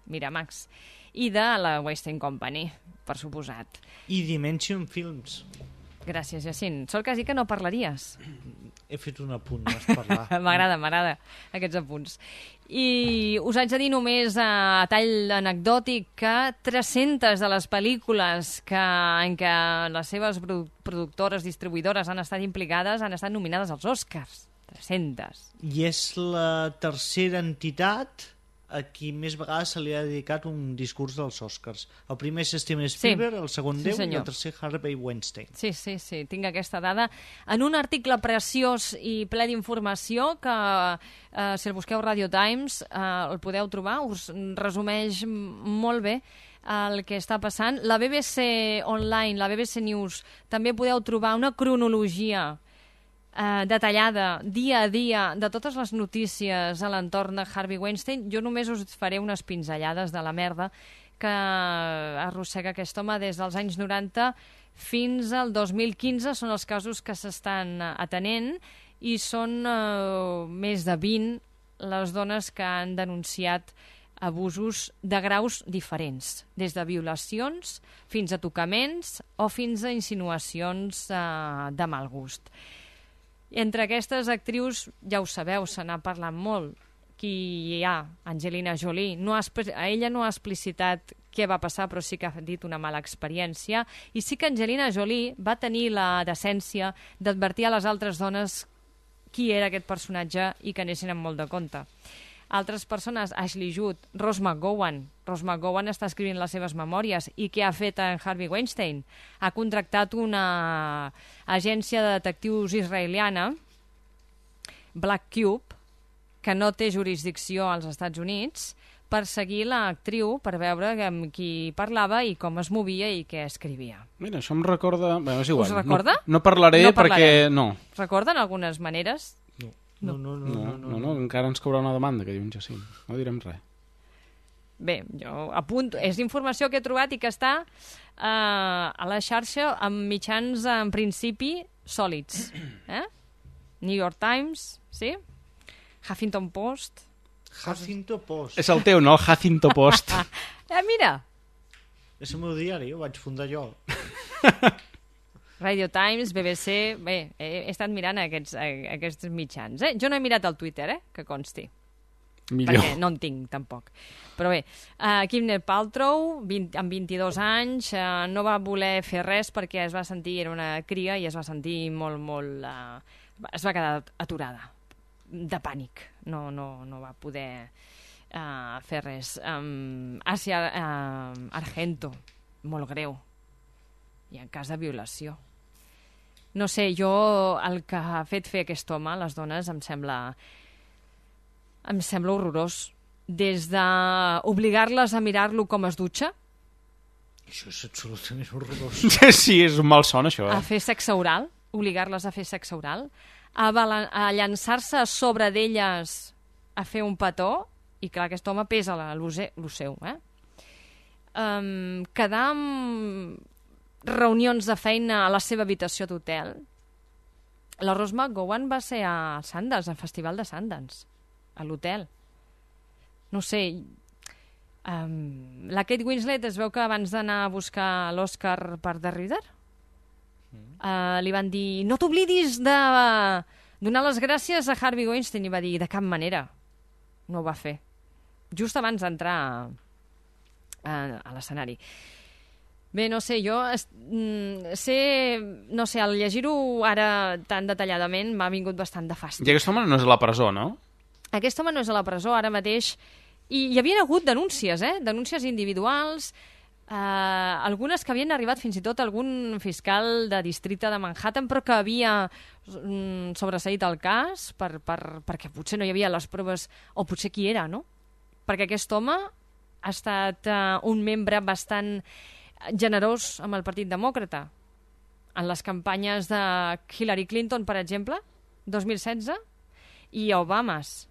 Miramax. I de la Weinstein Company, per suposat. I Dimension Films. Gràcies, Jacint. Sol quasi que no parlaries. He fet un apunt, vas parlar. M'agrada aquests apunts. I us haig de dir només a tall anecdòtic que 300 de les pel·lícules en què les seves productores, distribuïdores han estat implicades han estat nominades als Oscars. 300. I és la tercera entitat a qui més vegades se li ha dedicat un discurs dels Oscars. El primer és Steven Spielberg, el segon Déu i el tercer Harvey Weinstein. Sí, tinc aquesta dada. En un article preciós i ple d'informació que, si el busqueu Radio Times, el podeu trobar, us resumeix molt bé el que està passant. La BBC Online, la BBC News, també podeu trobar una cronologia detallada, dia a dia, de totes les notícies a l'entorn de Harvey Weinstein. Jo només us faré unes pinzellades de la merda que arrossega aquest home des dels anys 90 fins al 2015. Són els casos que s'estan atenent i són més de 20 les dones que han denunciat abusos de graus diferents, des de violacions fins a tocaments o fins a insinuacions de mal gust. Entre aquestes actrius, ja ho sabeu, se n'ha parlat molt. Qui hi ha? Angelina Jolie. Ella no ha explicitat què va passar, però sí que ha dit una mala experiència. I sí que Angelina Jolie va tenir la decència d'advertir a les altres dones qui era aquest personatge i que anessin amb molt de compte. Altres persones, Ashley Judd, Rose McGowan. Rose McGowan està escrivint les seves memòries. I què ha fet en Harvey Weinstein? Ha contractat una agència de detectius israeliana, Black Cube, que no té jurisdicció als Estats Units, per seguir l'actriu, per veure amb qui parlava i com es movia i què escrivia. Mira, això em recorda... Bé, és igual. Us recorda? No parlaré perquè... No. Recorden algunes maneres? No, encara ens caurà una demanda, que diu en Jacint. No direm res. Bé, jo apunto. És informació que he trobat i que està a la xarxa amb mitjans, en principi, sòlids. New York Times, sí? Huffington Post. Huffington Post. És el teu, no? El Huffington Post. Mira! És el meu diari, ho vaig fundar jo. Radio Times, BBC... Bé, he estat mirant aquests mitjans. Jo no he mirat el Twitter, que consti. Millor. Perquè no en tinc, tampoc. Però bé, Gwyneth Paltrow, amb 22 anys, no va voler fer res perquè es va sentir, era una cria, i es va sentir molt... es va quedar aturada, de pànic. No va poder fer res. Asia Argento, molt greu. I en cas de violació. No sé, jo el que ha fet fer aquest home a les dones em sembla horrorós. Des d'obligar-les a mirar-lo com es dutxa. Això és absolutament horrorós. Sí, és un malson, això. A fer sexe oral, obligar-les a fer sexe oral, a llançar-se a sobre d'elles a fer un petó, i clar, aquest home pesa lo seu, quedar amb reunions de feina a la seva habitació d'hotel. La Rose McGowan va ser a Sundance, al Festival de Sundance, a l'hotel. No sé, la Kate Winslet es veu que abans d'anar a buscar l'Oscar per The Reader, li van dir, no t'oblidis de donar les gràcies a Harvey Weinstein, i va dir, de cap manera. No ho va fer. Just abans d'entrar a l'escenari. Bé, no sé, jo al llegir-ho ara tan detalladament m'ha vingut bastant de fàstic. I aquest home no és a la presó, no? Aquest home no és a la presó, ara mateix I hi havia hagut denúncies, denúncies individuals, algunes que havien arribat fins i tot a algun fiscal de districte de Manhattan, però que havia sobreseït el cas perquè potser no hi havia les proves, o potser qui era, no? Perquè aquest home ha estat un membre bastant generós amb el Partit Demòcrata. En les campanyes de Hillary Clinton, per exemple, 2016, i Obamas.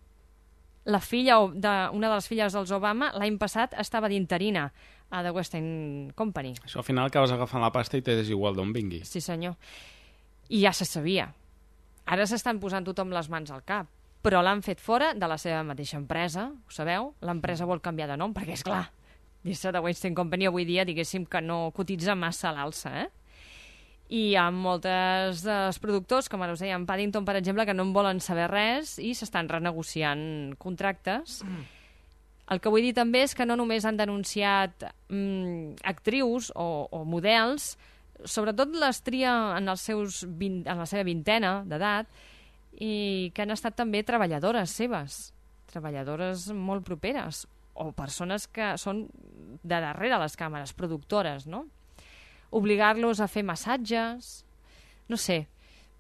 Una de les filles dels Obama l'any passat estava d'interina a The Weinstein Company. Això al final acabes agafant la pasta i t'és igual d'on vingui. Sí, senyor. I ja se sabia. Ara s'estan posant tothom les mans al cap, però l'han fet fora de la seva mateixa empresa, ho sabeu? L'empresa vol canviar de nom, perquè, és clar, dir-se The Weinstein Company avui dia, diguéssim que no cotitza massa a l'alça, I hi ha molts dels productors, com ara us deia, en Paddington, per exemple, que no en volen saber res i s'estan renegociant contractes. El que vull dir també és que no només han denunciat actrius o models, sobretot les tria en la seva vintena d'edat, i que han estat també treballadores seves, treballadores molt properes, o persones que són de darrere les càmeres, productores, no? Obligar-los a fer massatges, no sé.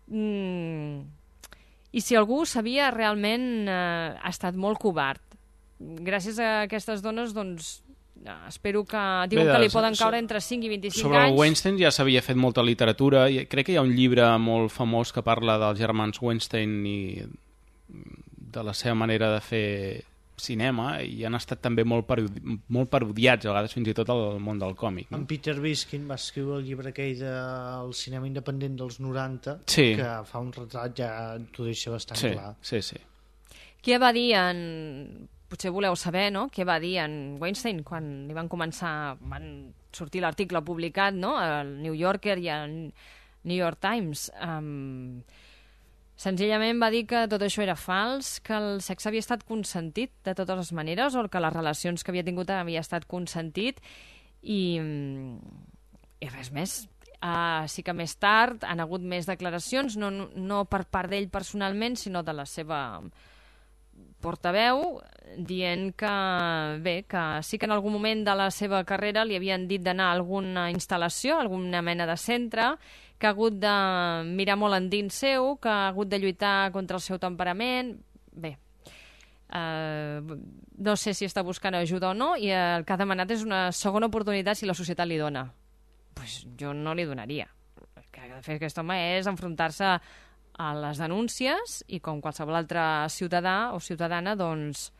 I si algú ho sabia, realment ha estat molt covard. Gràcies a aquestes dones, doncs, espero que... Diuen que li poden caure entre 5 i 25 anys. Sobre el Weinstein ja s'havia fet molta literatura. Crec que hi ha un llibre molt famós que parla dels germans Weinstein i de la seva manera de fer cinema, i han estat també molt parodiats, a vegades fins i tot al món del còmic. En Peter Biskin va escriure el llibre aquell del cinema independent dels 90, que fa un retrat, ja t'ho deixa bastant clar. Sí. Què va dir potser voleu saber, no?, què va dir en Weinstein quan li van sortir l'article publicat, no?, al New Yorker i al New York Times. Senzillament va dir que tot això era fals, que el sexe havia estat consentit de totes les maneres, o que les relacions que havia tingut havia estat consentit, i res més. Sí que més tard han hagut més declaracions, no per part d'ell personalment, sinó de la seva portaveu, dient que, bé, que sí que en algun moment de la seva carrera li havien dit d'anar a alguna instal·lació, alguna mena de centre, que ha hagut de mirar molt endins seu, que ha hagut de lluitar contra el seu temperament. Bé, no sé si està buscant ajuda o no, i el que ha demanat és una segona oportunitat si la societat li dona. Pues jo no li donaria. El que ha de fer aquest home és enfrontar-se a les denúncies i, com qualsevol altre ciutadà o ciutadana, doncs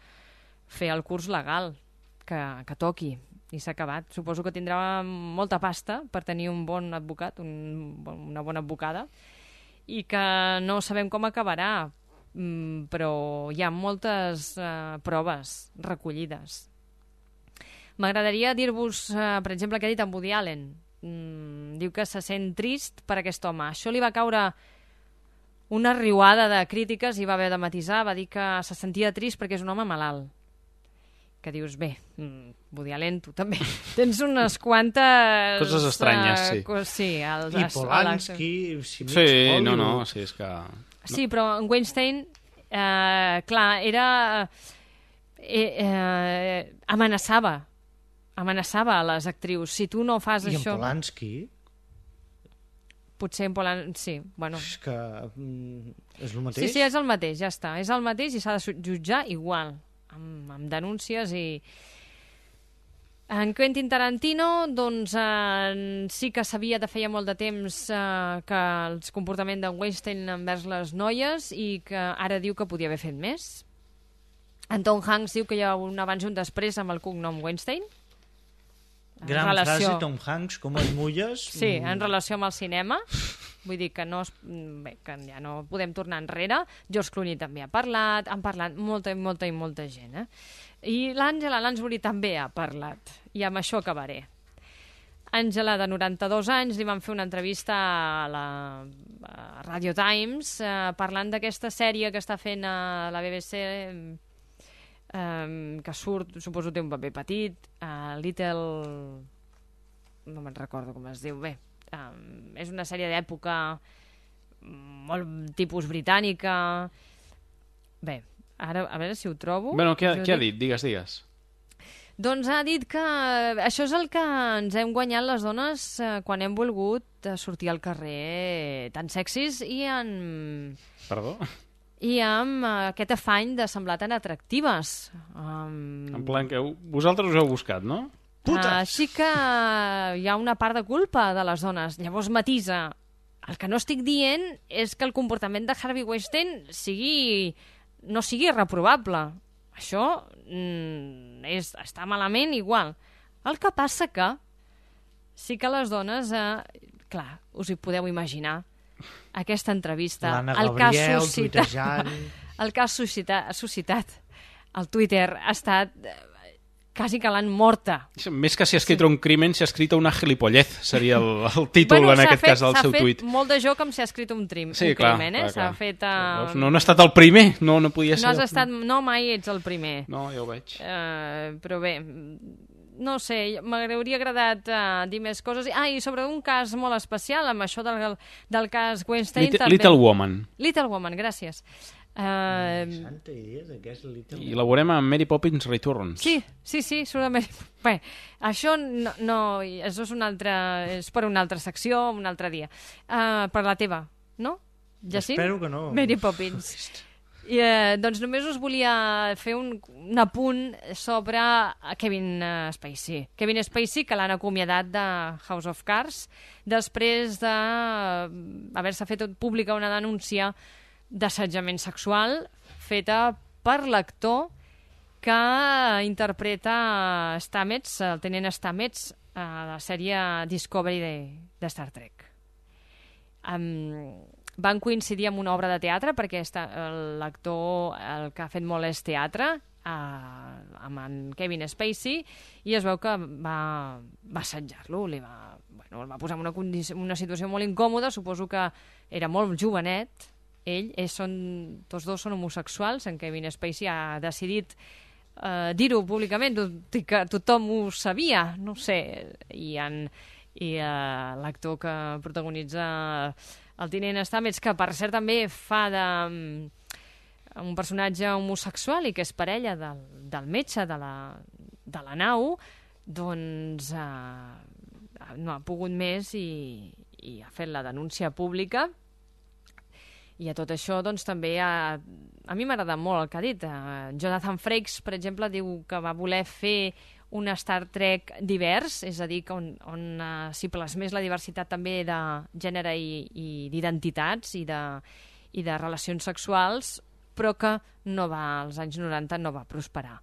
fer el curs legal que toqui. I s'ha acabat. Suposo que tindrà molta pasta per tenir un bon advocat, una bona advocada, i que no sabem com acabarà, però hi ha moltes proves recollides. M'agradaria dir-vos, per exemple, què ha dit en Woody Allen. Diu que se sent trist per aquest home. Això li va caure una riuada de crítiques i va haver de matisar, va dir que se sentia trist perquè és un home malalt. Que dius, bé, Woody Allen, tu també tens unes quantes... Coses estranyes, sí. Sí, i Polanski... Sí, no, sí, és que... Sí, però en Weinstein, clar, era... amenaçava a les actrius. Si tu no fas això... I en Polanski... Potser en Polanski, sí, bueno... És que és el mateix? Sí, és el mateix, ja està. És el mateix i s'ha de jutjar igual. Amb denúncies i... En Quentin Tarantino, doncs, sí que sabia de feia molt de temps que el comportament de Weinstein envers les noies, i que ara diu que podia haver fet més. En Tom Hanks diu que hi ha un abans i un després amb el cognom Weinstein. Gran frase, Tom Hanks, com es mulles. Sí, en relació amb el cinema. Vull dir que que ja no podem tornar enrere. George Clooney també ha parlat, han parlat molta gent. I l'Àngela Lansbury també ha parlat. I amb això acabaré. Àngela, de 92 anys, li van fer una entrevista a la Radio Times parlant d'aquesta sèrie que està fent a la BBC, que surt, suposo té un paper petit, Little... no me'n recordo com es diu, bé. És una sèrie d'època molt tipus britànica. Bé, Ara, a veure si ho trobo. Bueno, què ha dit? Digues. Doncs ha dit que això és el que ens hem guanyat les dones quan hem volgut sortir al carrer tan sexis i Perdó? I amb aquest afany de semblar tan atractives. En plan que vosaltres us heu buscat, no? Putes! Així que hi ha una part de culpa de les dones. Llavors matisa. El que no estic dient és que el comportament de Harvey Weinstein no sigui reprovable. Això està malament igual. El que passa que sí que les dones, clar, us hi podeu imaginar, aquesta entrevista, l'Anna Gabriel tuitejant... el que ha suscitat el Twitter ha estat quasi que l'han morta. Més que si ha escrit un crimen, si ha escrit una gilipollez, seria el títol en aquest cas del seu tuit. S'ha fet molt de joc com si ha escrit un crimen, S'ha fet... No ha estat el primer, no podia ser. No, mai ets el primer. No, ja ho veig. Però bé, no sé, m'hauria agradat dir més coses. I sobre un cas molt especial, amb això del cas Weinstein... Little Woman. Little Woman, gràcies. Santa idea de què és Little Woman. I la veurem amb Mary Poppins Returns. Sí, surt a Mary Poppins. Bé, això això és per una altra secció, un altre dia. Per la teva, no? Jacint? Espero que no. Mary Poppins. I, doncs només us volia fer un apunt sobre Kevin Spacey. Kevin Spacey, que l'han acomiadat de House of Cards després d'haver-se fet pública una denúncia d'assetjament sexual feta per l'actor que interpreta Stamets, el tenent Stamets, a la sèrie Discovery de Star Trek. Van coincidir amb una obra de teatre perquè l'actor el que ha fet molt és teatre amb en Kevin Spacey i es veu que va assetjar-lo, el va posar en una situació molt incòmoda. Suposo que era molt jovenet tots dos són homosexuals. En Kevin Spacey ha decidit dir-ho públicament, tot i que tothom ho sabia, no sé, i l'actor que protagonitza el tinent Stamets, que per cert també fa un personatge homosexual i que és parella del metge de la nau, doncs no ha pogut més i ha fet la denúncia pública. I a tot això, doncs, també a mi m'agrada molt el que ha dit. Jonathan Frakes, per exemple, diu que va voler fer un Star Trek divers, és a dir, on s'hi plasmés la diversitat també de gènere i d'identitats i de relacions sexuals, però que als anys 90 no va prosperar.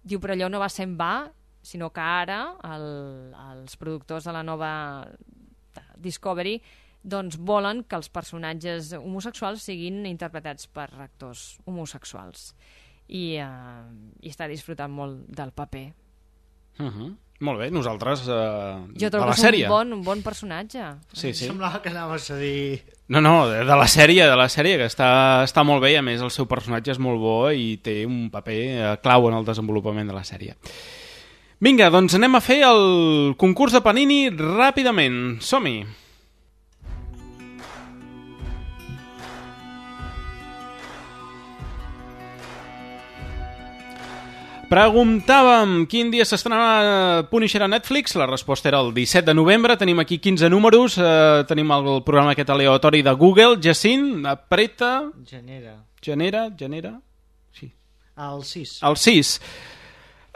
Diu, però allò no va ser en va, sinó que ara els productors de la nova Discovery doncs volen que els personatges homosexuals siguin interpretats per actors homosexuals i està disfrutant molt del paper. Molt bé, nosaltres jo trobo de la que sèrie. És un bon personatge. Sí. Semblava que anaves a dir... No, de la sèrie, que està molt bé i a més el seu personatge és molt bo i té un paper clau en el desenvolupament de la sèrie. Vinga, doncs anem a fer el concurs de Panini ràpidament. Som-hi! Preguntàvem quin dia s'estrenava Punisher a Netflix. La resposta era el 17 de novembre. Tenim aquí 15 números. Tenim el programa aquest aleatori de Google. Jacint, apreta... Genera? Sí. El 6. El 6.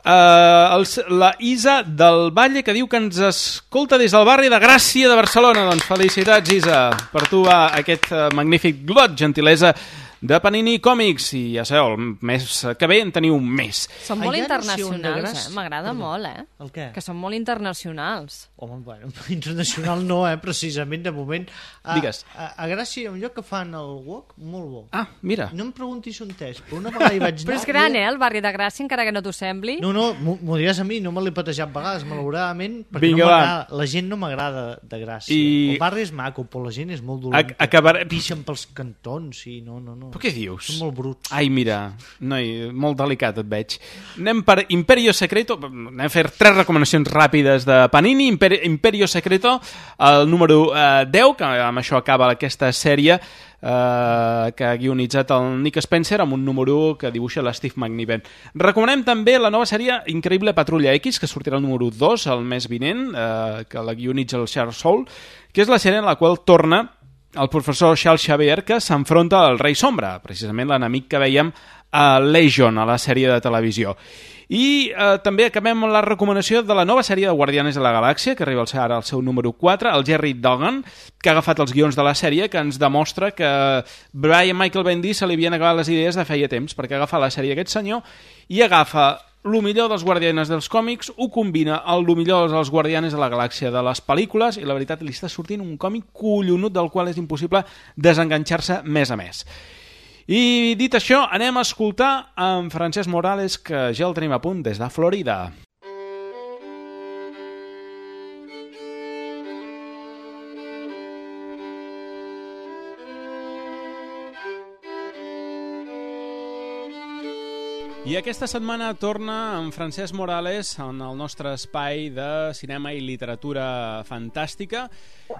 La Isa del Valle, que diu que ens escolta des del barri de Gràcia de Barcelona. Doncs felicitats, Isa, per tu aquest magnífic lot, gentilesa de Panini Còmics. I ja sabeu, el mes que ve en teniu un mes. Són molt internacionals, m'agrada molt, El què? Que són molt internacionals. Home, bueno, internacional no, precisament, de moment. Digues. A Gràcia, un lloc que fan el wok, molt bo. Ah, mira. No em preguntis on és, però una vegada hi vaig anar... Però és gran, el barri de Gràcia, encara que no t'ho sembli. No, m'ho diràs a mi, no me l'he patejat vegades, malauradament, perquè vinga, no m'agrada. La gent no m'agrada de Gràcia. El barri és maco, però la gent és molt dolenta. Pixen pels cantons, i no. Però què dius? Són molt bruts. Ai, mira, noi, molt delicat et veig. Anem per Imperio Secreto, anem a fer 3 recomanacions ràpides de Panini. Imperio Secreto, el número 10, que amb això acaba aquesta sèrie que ha guionitzat el Nick Spencer amb un número 1 que dibuixa l'Steve McNiven. Recomanem també la nova sèrie Increïble Patrulla X, que sortirà el número 2 el mes vinent, que la guionitza el Charles Soule, que és la sèrie en la qual torna el professor Charles Xavier, que s'enfronta al Rei Sombra, precisament l'enemic que veiem a Legion, a la sèrie de televisió. I també acabem amb la recomanació de la nova sèrie de Guardianes de la Galàxia, que arriba ara al seu número 4, el Jerry Duggan, que ha agafat els guions de la sèrie, que ens demostra que Brian Michael Bendis se li havien acabat les idees de feia temps, perquè agafa la sèrie aquest senyor i agafa el millor dels Guardianes dels còmics, ho combina amb el millor dels Guardianes de la Galàxia de les pel·lícules, i la veritat li està sortint un còmic collonut del qual és impossible desenganxar-se més a més. I dit això, anem a escoltar en Francesc Morales, que ja el tenim a punt des de Florida. I aquesta setmana torna en Francesc Morales en el nostre espai de cinema i literatura fantàstica,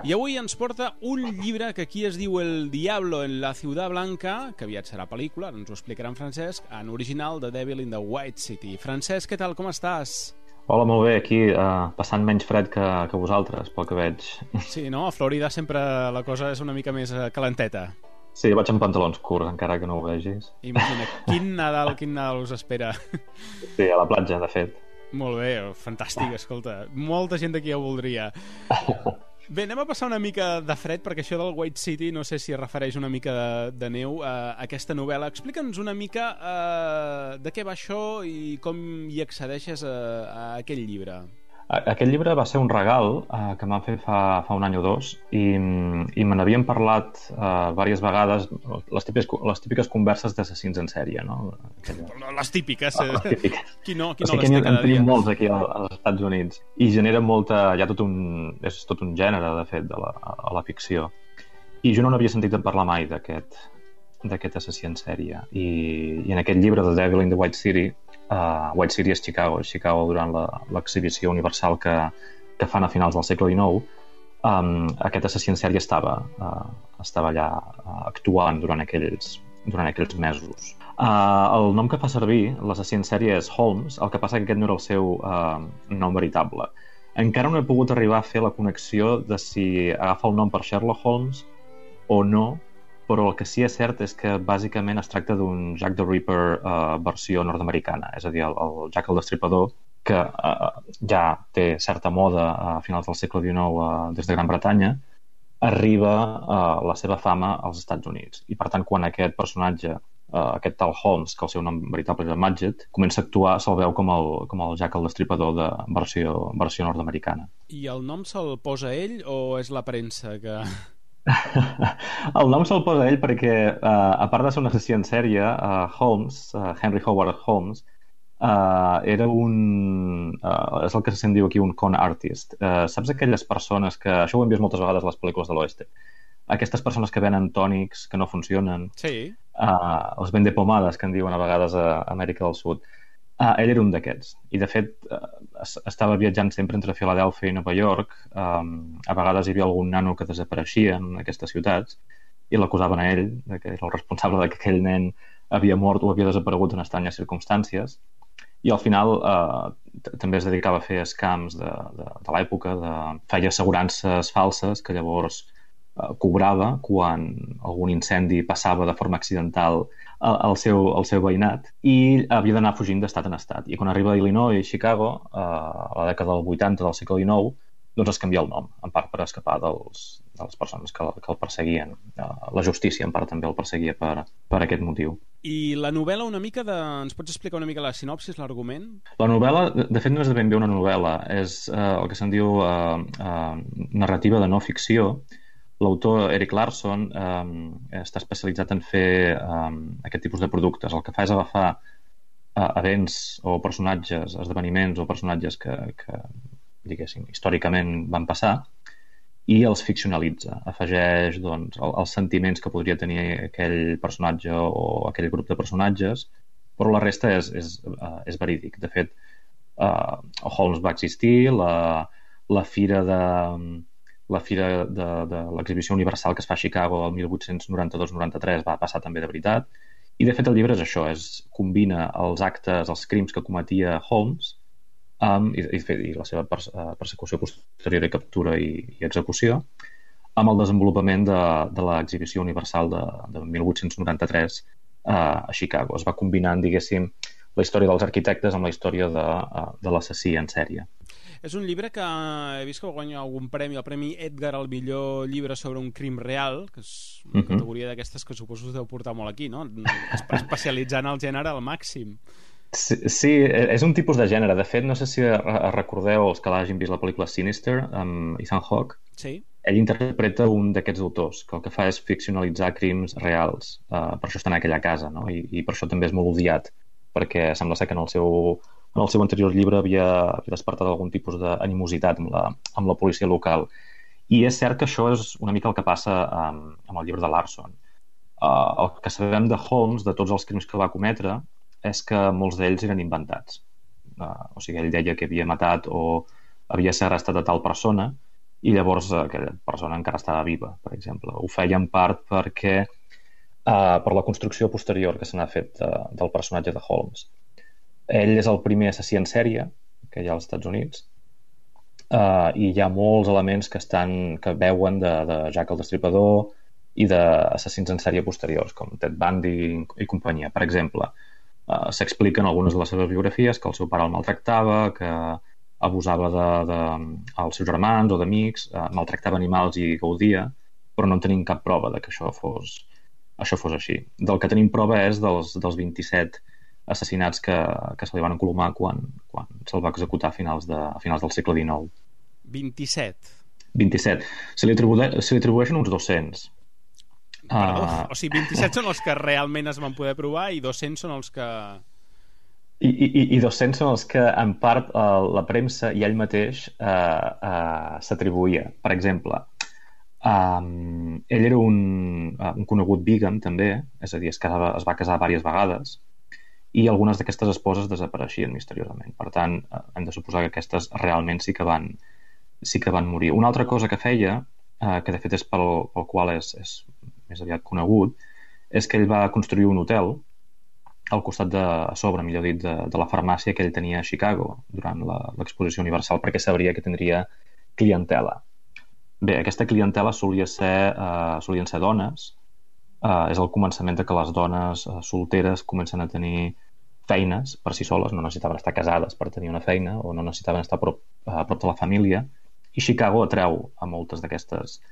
i avui ens porta un llibre que aquí es diu El Diablo en la Ciudad Blanca, que aviat serà pel·lícula, ens ho explicarà en Francesc, en original The Devil in the White City. Francesc, què tal, com estàs? Hola, molt bé, aquí passant menys fred que vosaltres, pel que veig. Sí, no? A Florida sempre la cosa és una mica més calenteta. Sí, vaig amb pantalons curts, encara que no ho vegis. Imagina, quin Nadal us espera. Sí, a la platja, de fet. Molt bé, fantàstic, escolta. Molta gent d'aquí ho voldria. Bé, anem a passar una mica de fred, perquè això del White City no sé si es refereix una mica de neu a aquesta novel·la. Explica'ns una mica de què va això i com hi accedeixes a aquest llibre. Aquest llibre va ser un regal que em van fer fa un any o dos, i me n'havien parlat diverses vegades, les típiques converses d'assassins en sèrie, no? Les típiques. Qui no les té cada dia? En tenim molts aquí als Estats Units, i genera molta... és tot un gènere, de fet, a la ficció. I jo no n'havia sentit parlar mai d'aquest assassí en sèrie. I en aquest llibre, The Devil in the White City, White City és Chicago durant l'exhibició universal que fan a finals del segle XIX, aquest assassí en sèrie estava allà actuant durant aquells mesos. El nom que fa servir l'assassí en sèrie és Holmes, el que passa que aquest no era el seu nom veritable. Encara no he pogut arribar a fer la connexió de si agafa el nom per Sherlock Holmes o no, però el que sí és cert és que bàsicament es tracta d'un Jack the Ripper versió nord-americana, és a dir, el Jack el Destripador, que ja té certa moda a finals del segle XIX des de Gran Bretanya, arriba a la seva fama als Estats Units. I per tant, quan aquest personatge, aquest tal Holmes, que el seu nom veritable era Madgett, comença a actuar, se'l veu com el Jack el Destripador de versió nord-americana. I el nom se'l posa ell o és la premsa que... El nom se'l posa ell perquè, a part de ser un assassí en sèrie, Holmes, Henry Howard Holmes, era és el que se'n diu aquí un con artist. Saps aquelles persones que... Això ho hem vist moltes vegades a les pel·lícules de l'oeste. Aquestes persones que venen tònics que no funcionen. Sí. Els vende pomades, que en diuen a vegades a Amèrica del Sud. Ell era un d'aquests, i de fet estava viatjant sempre entre Filadèlfia i Nova York. A vegades hi havia algun nano que desapareixia en aquestes ciutats i l'acusaven a ell, que era el responsable que aquell nen havia mort o havia desaparegut en estranyes circumstàncies, i al final també es dedicava a fer scams de l'època, feia assegurances falses que llavors cobrava quan algun incendi passava de forma accidental al seu veïnat, i havia d'anar fugint d'estat en estat. I quan arriba a Illinois i Chicago, a la dècada del 80 del segle XIX, doncs es canvia el nom, en part per escapar de les persones que el perseguien. La justícia, en part, també el perseguia per aquest motiu. I la novel·la una mica ens pots explicar una mica la sinopsis, l'argument? La novel·la, de fet, no és ben bé una novel·la, és el que se'n diu narrativa de no ficció. L'autor Erik Larson està especialitzat en fer aquest tipus de productes. El que fa és agafar events o personatges, esdeveniments o personatges que diguéssim, històricament van passar, i els ficcionalitza, afegeix doncs, els sentiments que podria tenir aquell personatge o aquell grup de personatges, però la resta és verídic. De fet, Holmes va existir, la fira de l'exhibició universal que es fa a Chicago el 1892-93 va passar també de veritat, i de fet el llibre és això, combina els actes, els crims que cometia Holmes i la seva persecució posterior i captura i execució amb el desenvolupament de l'exhibició universal de 1893 a Chicago. Es va combinant, diguéssim, la història dels arquitectes amb la història de l'assassí en sèrie. És un llibre que he vist que guanya algun premi, el Premi Edgar al millor llibre sobre un crim real, que és una categoria d'aquestes que suposo us deu portar molt aquí, no? Especialitzant el gènere al màxim. Sí, és un tipus de gènere. De fet, no sé si recordeu els que l'hagin vist la pel·lícula Sinister amb Ethan Hawke. Sí. Ell interpreta un d'aquests autors que el que fa és ficcionalitzar crims reals. Per això està en aquella casa, no? I per això també és molt odiat, perquè sembla ser que en el seu anterior llibre havia despertat algun tipus d'animositat amb la policia local. I és cert que això és una mica el que passa amb el llibre de Larson. El que sabem de Holmes, de tots els crims que va cometre, és que molts d'ells eren inventats. O sigui, ell deia que havia matat o havia segrestat a tal persona i llavors aquella persona encara estava viva, per exemple. Ho feia en part perquè per la construcció posterior que se n'ha fet del personatge de Holmes. Ell és el primer assassí en sèrie que hi ha als Estats Units i hi ha molts elements que veuen de Jack el Destripador i d'assassins en sèrie posteriors, com Ted Bundy i companyia. Per exemple, s'expliquen algunes de les seves biografies que el seu pare el maltractava, que abusava dels seus germans o d'amics, maltractava animals i gaudia, però no en tenim cap prova de que això fos així. Del que tenim prova és dels 27 assassinats que se li van encolomar quan se'l va executar a finals del segle XIX. 27. Se li atribueixen uns 200. O sigui, 27 són els que realment es van poder provar i 200 són els que... I 200 són els que, en part, la premsa i ell mateix s'atribuïa. Per exemple, ell era un conegut vegan, també, és a dir, es va casar diverses vegades i algunes d'aquestes esposes desapareixien misteriosament. Per tant, hem de suposar que aquestes realment sí que van morir. Una altra cosa que feia, que de fet és pel qual és més aviat conegut, és que ell va construir un hotel al costat millor dit, de la farmàcia que ell tenia a Chicago durant l'exposició universal, perquè sabria que tindria clientela. Bé, aquesta clientela solien ser dones. És el començament de que les dones solteres comencen a tenir feines per si soles, no necessitaven estar casades per tenir una feina o no necessitaven estar a prop de la família, i Chicago atreu a moltes d'aquestes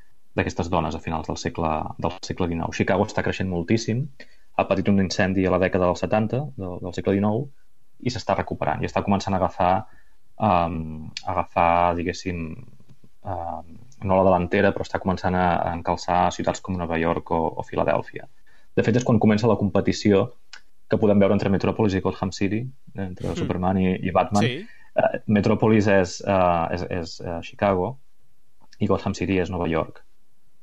dones a finals del segle XIX. Chicago està creixent moltíssim, ha patit un incendi a la dècada dels 70 del segle XIX i s'està recuperant i està començant a agafar diguéssim, no la delantera, però està començant a encalçar ciutats com Nova York o Filadèlfia. De fet, és quan comença la competició que podem veure entre Metropolis i Gotham City, entre Superman i Batman. Sí. Metropolis és Chicago i Gotham City és Nova York.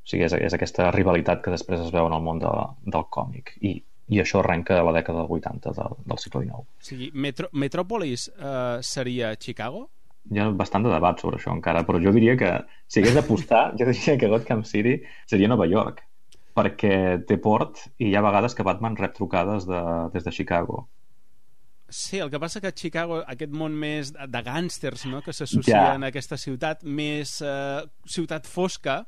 O sigui, és aquesta rivalitat que després es veu en el món del còmic. I això arrenca a la dècada del 80 del segle XIX. O sigui, Metropolis seria Chicago? Hi ha bastant de debat sobre això encara, però jo diria que si hagués d'apostar, jo diria que Gotham City seria Nova York, perquè té port i hi ha vegades que Batman rep trucades des de Chicago. Sí, el que passa que a Chicago, aquest món més de gàngsters, no?, que s'associen a aquesta ciutat, més ciutat fosca...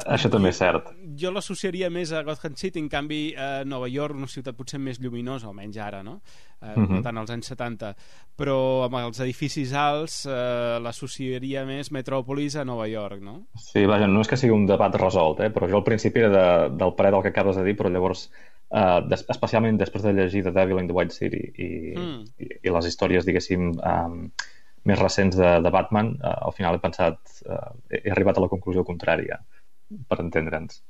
Això també és cert. Jo l'associaria més a Gotham City, en canvi Nova York, una ciutat potser més lluminosa, almenys ara, no? No tant als anys 70. Però amb els edificis alts l'associaria més Metròpolis a Nova York, no? Sí, vaja, no és que sigui un debat resolt, però jo al principi era del parer del que acabes de dir, però llavors... especialment després de llegir The Devil in the White City i les històries, diguéssim, més recents de Batman, al final he arribat a la conclusió contrària, per entendre'ns.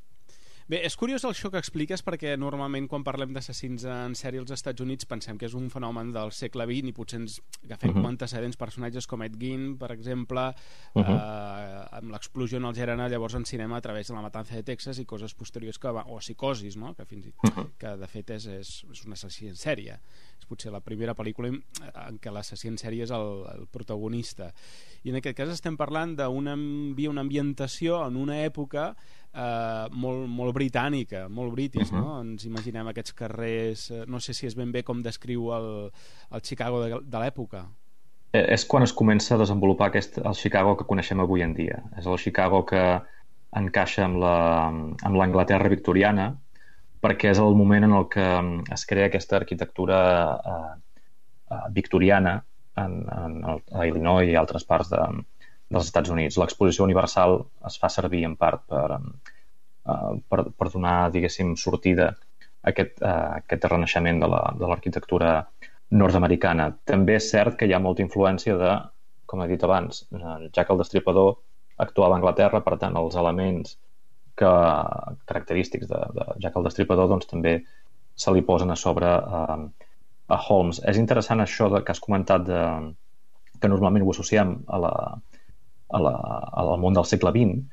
Bé, és curiós això que expliques perquè normalment quan parlem d'assassins en sèrie als Estats Units pensem que és un fenomen del segle XX i potser ens agafem com antecedents personatges com Ed Gein, per exemple, amb l'explosió en el Gerana, llavors en cinema a través de La matança de Texas i coses posteriors o Psicosis, no? que de fet és un assassí en sèrie. És potser la primera pel·lícula en què l'assassí en sèrie és el protagonista. I en aquest cas estem parlant d'una ambientació en una època molt britànica, molt british, no? Ens imaginem aquests carrers, no sé si és ben bé com descriu el Chicago de l'època. És quan es comença a desenvolupar el Chicago que coneixem avui en dia. És el Chicago que encaixa amb l'Anglaterra victoriana, perquè és el moment en el que es crea aquesta arquitectura victoriana a Illinois i altres parts dels Estats Units. L'exposició universal es fa servir en part per donar, diguéssim, sortida a aquest renaixement de l'arquitectura nord-americana. També és cert que hi ha molta influència de, com he dit abans, Jack el Destripador actuava a Anglaterra, per tant els elements característics de Jack el Destripador doncs també se li posen a sobre a Holmes. És interessant això que has comentat que normalment ho associem al món del segle XX,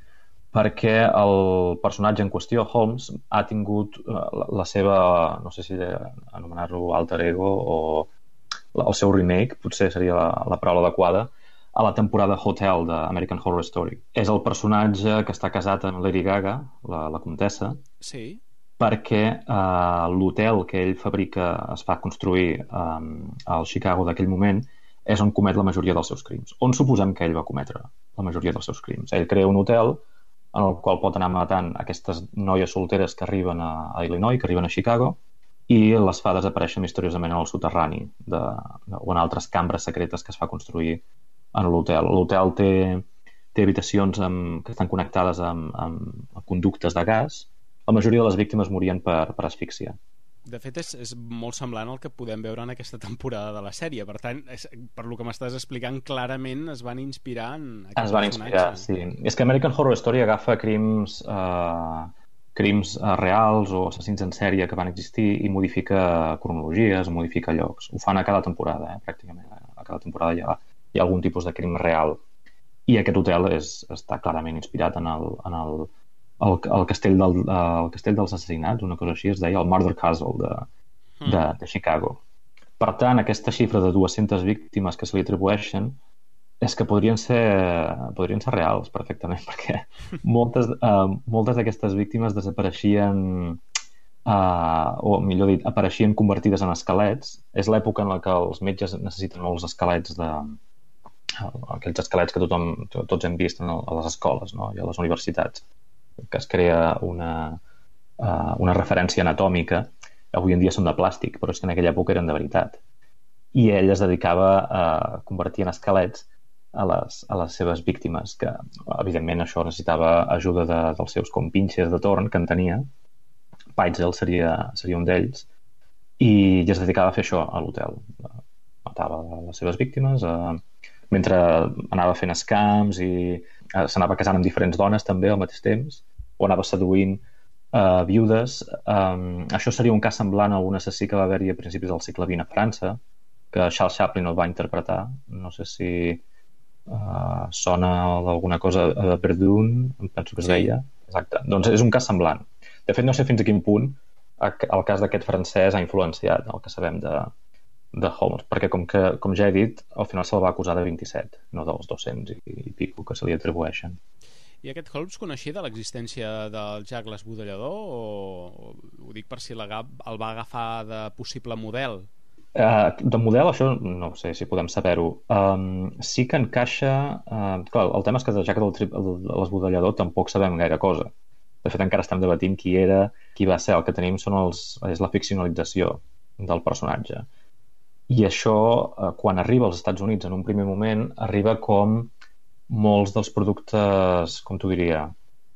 perquè el personatge en qüestió, Holmes, ha tingut la seva, no sé si anomenar-ho alter ego o el seu remake, potser seria la paraula adequada, a la temporada Hotel d'American Horror Story. És el personatge que està casat amb Lady Gaga, la comtessa, sí, perquè l'hotel que ell fabrica es fa construir al Chicago d'aquell moment és on comet la majoria dels seus crims. On suposem que ell va cometre la majoria dels seus crims? Ell crea un hotel en el qual pot anar matant aquestes noies solteres que arriben a Illinois, que arriben a Chicago, i les fa desaparèixer misteriosament en el soterrani o en altres cambres secretes que es fa construir en l'hotel. L'hotel té habitacions que estan connectades amb conductes de gas. La majoria de les víctimes morien per asfíxia. De fet, és molt semblant al que podem veure en aquesta temporada de la sèrie. Per tant, per lo que m'estàs explicant, clarament es van inspirar en aquest personatge. Es van inspirar, sí. És que American Horror Story agafa crims reals o assassins en sèrie que van existir i modifica cronologies, modifica llocs. Ho fan a cada temporada, pràcticament. A cada temporada hi ha algun tipus de crim real. I aquest hotel està clarament inspirat en el castell dels assassinats, una cosa així, es deia el Murder Castle de Chicago. Per tant, aquesta xifra de 200 víctimes que se li atribueixen és que podrien ser reals perfectament, perquè moltes d'aquestes víctimes desapareixien o millor dit, apareixien convertides en esquelets. És l'època en la que els metges necessiten molts esquelets aquells esquelets que tots hem vist a les escoles, no? I a les universitats, que es crea una referència anatòmica. Avui en dia són de plàstic, però és que en aquella època eren de veritat. I ell es dedicava a convertir en esquelets a les seves víctimes, que evidentment això necessitava ajuda dels seus compinxes de torn que en tenia. Peitzel seria un d'ells, i es dedicava a fer això a l'hotel. Matava les seves víctimes mentre anava fent escams i s'anava casant amb diferents dones també al mateix temps, o anava seduint viudes. Això seria un cas semblant a un assassí que va haver-hi a principis del segle XX a França, que Charles Chaplin el va interpretar. No sé si sona d'alguna cosa a Verdun, em penso que es deia. Exacte. Doncs és un cas semblant. De fet, no sé fins a quin punt el cas d'aquest francès ha influenciat el que sabem de Holmes, perquè com ja he dit, al final se'l va acusar de 27, no dels 200 i pico que se li atribueixen. I aquest Holmes coneixia de l'existència del Jack l'Esbudellador o ho dic per si el va agafar de possible model? De model això no sé si podem saber-ho. Sí que encaixa... Clar, el tema és que de Jack l'Esbudellador tampoc sabem gaire cosa. De fet, encara estem debatint qui era, qui va ser. El que tenim és la ficcionalització del personatge. I això, quan arriba als Estats Units en un primer moment, arriba com molts dels productes, com t'ho diria,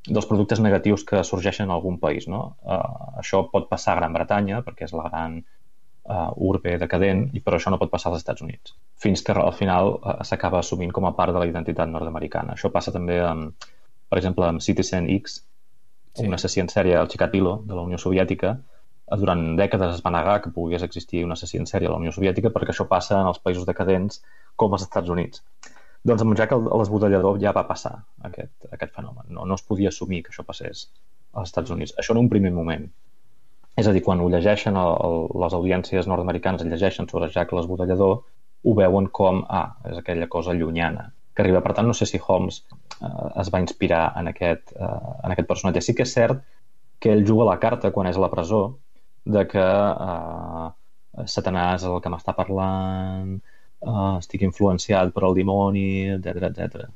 dels productes negatius que sorgeixen en algun país, no? Això pot passar a Gran Bretanya, perquè és la gran urbe decadent, però això no pot passar als Estats Units, fins que al final s'acaba assumint com a part de la identitat nord-americana. Això passa també, per exemple, amb Citizen X, un assassí en sèrie, el Chikatilo, de la Unió Soviètica. Durant dècades es va negar que pogués existir un assassí en sèrie a la Unió Soviètica perquè això passa en els països decadents com els Estats Units. Doncs amb Jack l'Esbudellador ja va passar aquest fenomen. No es podia assumir que això passés als Estats Units. Això en un primer moment. És a dir, quan ho llegeixen les audiències nord-americanes llegeixen sobre Jack l'Esbudellador, ho veuen com, és aquella cosa llunyana que arriba. Per tant, no sé si Holmes es va inspirar en aquest personatge. Sí que és cert que ell juga la carta quan és a la presó de que Satanàs és el que m'està parlant, estic influenciat per el dimoni, etc.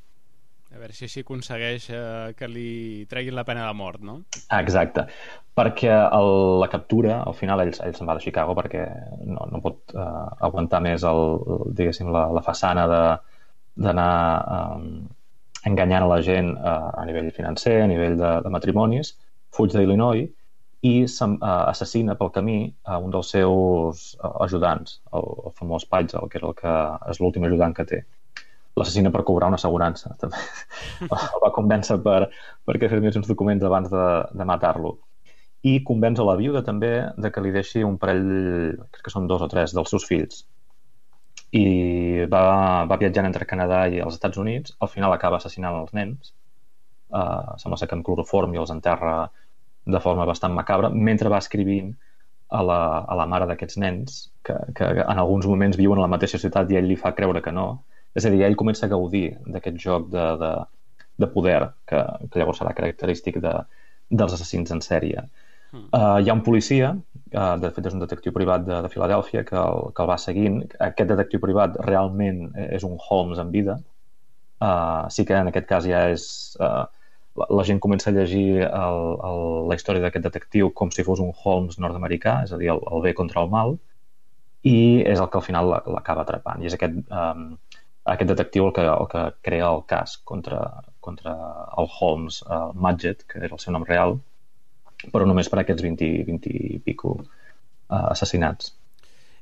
A veure si així aconsegueix que li treguin la pena de mort, no? Exacte. Perquè la captura, al final ell se'n va de Chicago perquè no pot aguantar més diguéssim, la façana d'anar enganyant a la gent a nivell financer, a nivell de matrimonis, fuig d'Illinois i assassina pel camí a un dels seus ajudants, el famós Pagel, que és l'últim ajudant que té. L'assassina per cobrar una assegurança. També. El va convèncer perquè fes uns documents abans de matar-lo. I convenç a la viuda també de que li deixi un parell, crec que són 2 o 3, dels seus fills. I va viatjant entre Canadà i els Estats Units. Al final acaba assassinant els nens. Sembla ser que amb cloroform i els enterra de forma bastant macabra, mentre va escrivint a la mare d'aquests nens que en alguns moments viuen a la mateixa ciutat i ell li fa creure que no. És a dir, ell comença a gaudir d'aquest joc de poder que llavors serà característic dels assassins en sèrie. Hi ha un policia, de fet és un detectiu privat de Filadèlfia que el va seguint. Aquest detectiu privat realment és un Holmes en vida. Sí que en aquest cas ja és... La gent comença a llegir la història d'aquest detectiu com si fos un Holmes nord-americà, és a dir, el bé contra el mal, i és el que al final l'acaba atrapant. I és aquest detectiu el que crea el cas contra el Holmes Madgett, que era el seu nom real, però només per aquests 20 i pico assassinats.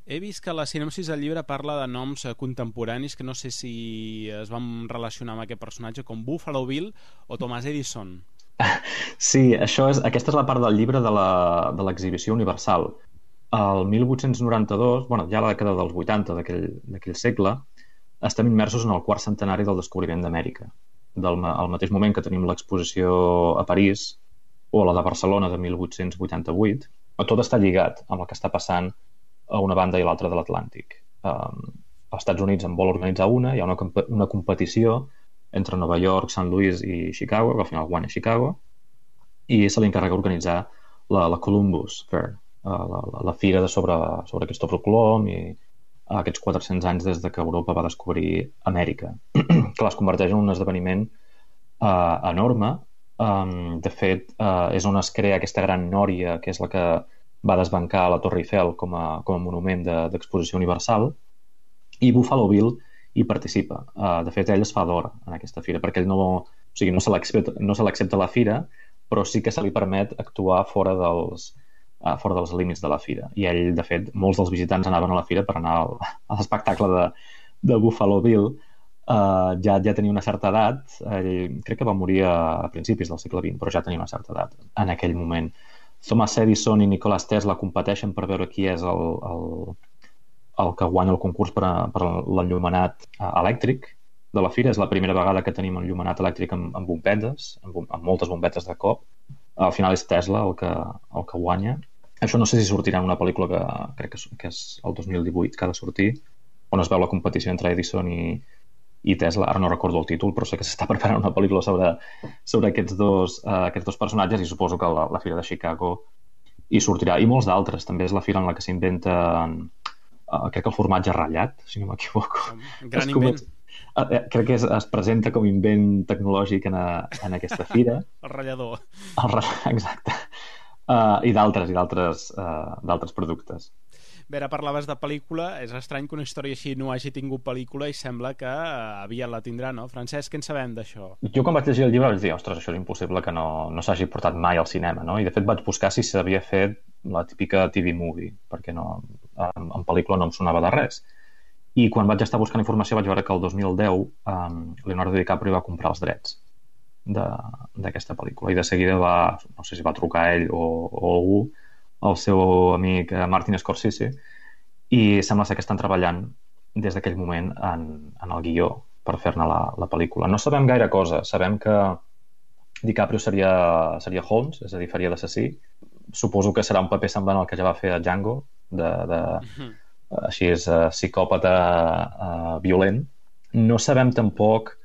He vist que la sinopsis del llibre parla de noms contemporanis que no sé si es van relacionar amb aquest personatge, com Buffalo Bill o Thomas Edison. Sí, aquesta és la part del llibre de l'exhibició universal. El 1892, ja a la dècada dels 80 d'aquell segle, estem immersos en el quart centenari del descobriment d'Amèrica. Al mateix moment que tenim l'exposició a París o la de Barcelona de 1888, tot està lligat amb el que està passant a una banda i l'altra de l'Atlàntic. Els Estats Units en vol organitzar hi ha una competició entre Nova York, Sant Louis i Chicago, que al final guanya Chicago, i se li encarrega organitzar la Columbus Fair, la fira sobre Cristòfor Colom i aquests 400 anys des que Europa va descobrir Amèrica, que les converteix en un esdeveniment enorme. De fet, és on es crea aquesta gran nòria, que és la que va desbancar la Torre Eiffel com a monument d'exposició universal, i Buffalo Bill hi participa. De fet, ell es fa d'or en aquesta fira, perquè ell no se l'accepta a la fira, però sí que se li permet actuar fora dels límits de la fira. I ell, de fet, molts dels visitants anaven a la fira per anar a l'espectacle de Buffalo Bill. Ja tenia una certa edat, ell crec que va morir a principis del segle XX, però ja tenia una certa edat en aquell moment. Thomas Edison i Nikola Tesla competeixen per veure qui és el que guanya el concurs per l'enllumenat elèctric de la fira. És la primera vegada que tenim enllumenat elèctric amb bombetes, amb moltes bombetes de cop. Al final és Tesla el que guanya. Això no sé si sortirà en una pel·lícula que crec que és el 2018 que ha de sortir, on es veu la competició entre Edison i Tesla. Ara no recordo el títol, però sé que s'està preparant una pel·lícula sobre aquests dos personatges, i suposo que la Fira de Chicago hi sortirà. I molts d'altres. També és la fira en la que s'inventa, crec que el formatge ratllat, si no m'equivoco. Gran invent. Crec que es presenta com invent tecnològic en aquesta fira. El ratllador. Exacte. I d'altres productes. Bé, ara parlaves de pel·lícula, és estrany que una història així no hagi tingut pel·lícula i sembla que aviat la tindrà, no? Francesc, què en sabem d'això? Jo quan vaig llegir el llibre vaig dir, ostres, això és impossible que no s'hagi portat mai al cinema, no? I de fet vaig buscar si s'havia fet la típica TV movie, perquè en pel·lícula no em sonava de res. I quan vaig estar buscant informació vaig veure que el 2010 Leonardo DiCaprio va comprar els drets d'aquesta pel·lícula. I de seguida no sé si va trucar a ell o algú, el seu amic Martin Scorsese, i sembla ser que estan treballant des d'aquell moment en el guió per fer-ne la pel·lícula. No sabem gaire cosa. Sabem que DiCaprio seria Holmes, és a dir, faria d'assassí. Suposo que serà un paper semblant al que ja va fer a Django, així és psicòpata violent. No sabem tampoc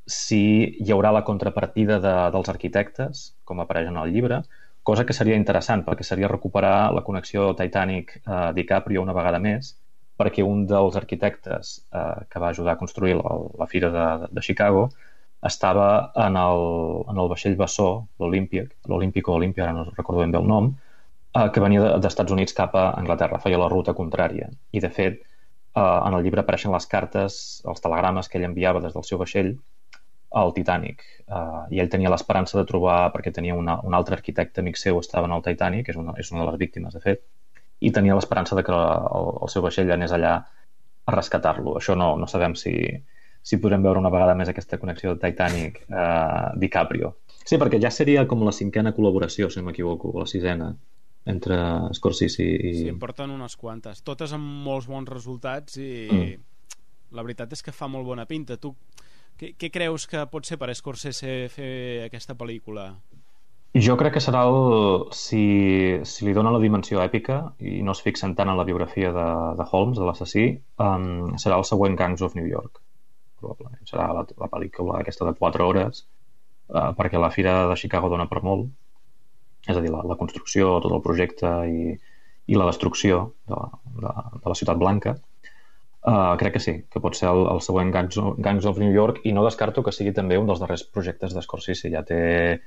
si hi haurà la contrapartida dels arquitectes, com apareix en el llibre, cosa que seria interessant, perquè seria recuperar la connexió Titanic-DiCaprio una vegada més, perquè un dels arquitectes que va ajudar a construir la fira de Chicago estava en el vaixell bessó, l'Olímpic o Olímpia, ara no recordo ben bé el nom, que venia dels Estats Units cap a Anglaterra, feia la ruta contrària. I, de fet, en el llibre apareixen les cartes, els telegrames que ell enviava des del seu vaixell al Titanic. I ell tenia l'esperança de trobar, perquè tenia un altre arquitecte amic seu, estava en el Titanic, és una de les víctimes, de fet, i tenia l'esperança de que el seu vaixell anés allà a rescatar-lo. Això no sabem si podrem veure una vegada més aquesta connexió de Titanic-DiCaprio. Sí, perquè ja seria com la 5a col·laboració, si no m'equivoco, o la 6a, entre Scorsese i... Sí, en porten unes quantes, totes amb molts bons resultats i la veritat és que fa molt bona pinta. Tu què creus que pot ser per Scorsese fer aquesta pel·lícula? Jo crec que serà si li dona la dimensió èpica i no es fixen tant en la biografia de Holmes, de l'assassí, serà el següent Gangs of New York, probablement. Serà la pel·lícula aquesta de 4 hores, perquè la Fira de Chicago dona per molt, és a dir, la construcció, tot el projecte i la destrucció de la Ciutat Blanca. Crec que sí, que pot ser el següent Gangs of New York, i no descarto que sigui també un dels darrers projectes d'Scorsese. Ja té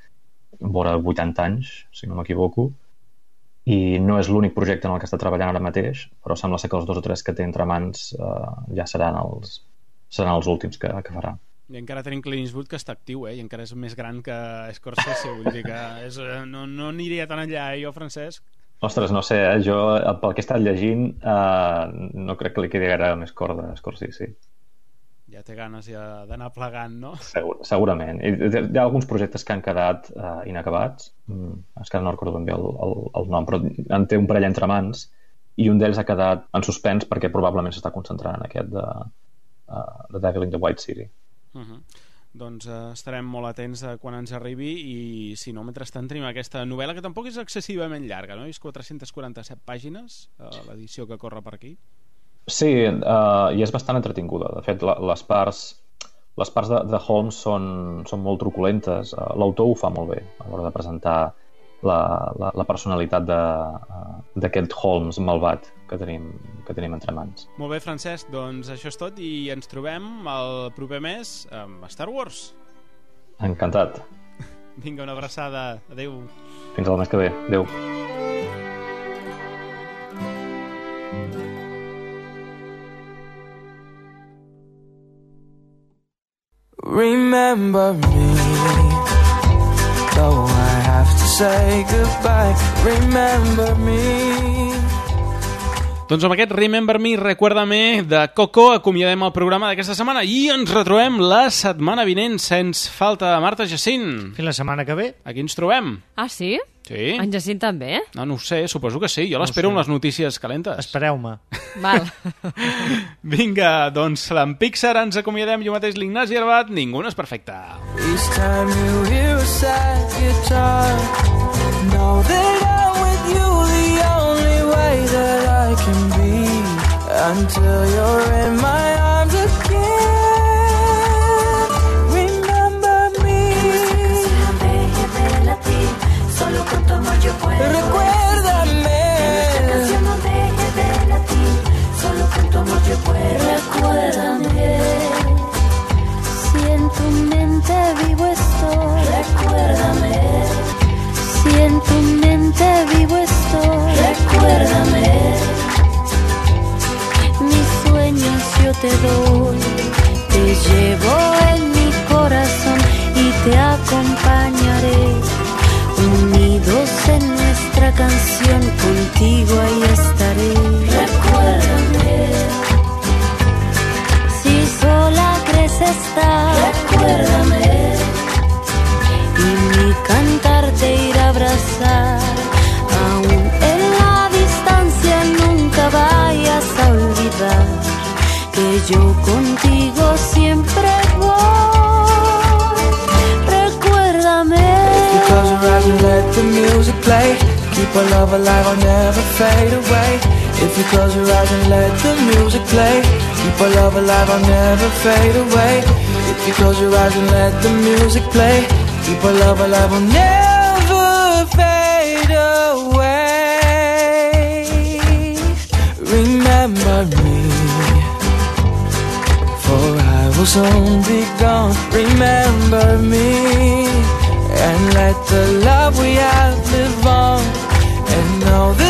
vora 80 anys, si no m'equivoco, i no és l'únic projecte en el que està treballant ara mateix, però sembla ser que els 2 o 3 que té entre mans ja seran els últims que farà. I encara tenim Clint Eastwood, que està actiu, i encara és més gran que Scorsese, vull dir que no aniria tan enllà, jo, Francesc. Ostres, no sé, jo pel que he estat llegint no crec que li quedi gaire més corda a Scorsese. Ja té ganes d'anar plegant, no? Segurament. Hi ha alguns projectes que han quedat inacabats, és que no recordo ben bé el nom, però en té un parell entre mans, i un d'ells ha quedat en suspens perquè probablement s'està concentrant en aquest de Devil in the White City. Doncs estarem molt atents a quan ens arribi, i si no, mentrestant tenim aquesta novel·la que tampoc és excessivament llarga, no? És 447 pàgines l'edició que corre per aquí. Sí, i és bastant entretinguda. De fet, les parts de Holmes són molt truculentes. L'autor ho fa molt bé a l'hora de presentar la personalitat d'aquest Holmes malvat que tenim entre mans. Molt bé, Francesc, doncs això és tot, i ens trobem el proper mes amb Star Wars. Encantat. Vinga, una abraçada. Adéu. Fins al mes que ve. Adéu. Remember me, though I have to say goodbye. Remember me. Doncs amb aquest Remember Me, Recuérdame de Coco acomiadem el programa d'aquesta setmana i ens retrobem la setmana vinent sense falta. Marta, Jacint. Fins la setmana que ve. Aquí ens trobem. Ah, sí? Sí. En Jacint també? No ho sé, suposo que sí. Jo l'espero amb les notícies calentes. Espereu-me. Val. Vinga, doncs amb Pixar ens acomiadem. Jo mateix, l'Ignasi Arbat. Ningú no és perfecte. Each time you hear a sad guitar, know that I'm with you the only way that I can be, until you're in my arms again. Remember me. Solo con tu amor yo puedo. Recuérdame. Esta canción no deje de latir. Solo con tu amor yo puedo. Recuérdame. Si en tu mente vivo estoy. Recuérdame. Si en tu mente vivo estoy. Recuérdame. Mis sueños yo te doy. Te llevo en mi corazón y te acompañaré. Unidos en nuestra canción, contigo ahí estaré. Recuérdame. Si sola crees estar. Recuérdame. play. Keep our love alive, I'll never fade away. If you close your eyes and let the music play. Keep our love alive, I'll never fade away. If you close your eyes and let the music play. Keep our love alive, I'll never fade away. Remember me, for I will soon be gone. Remember me, and let the love we have live on. And know that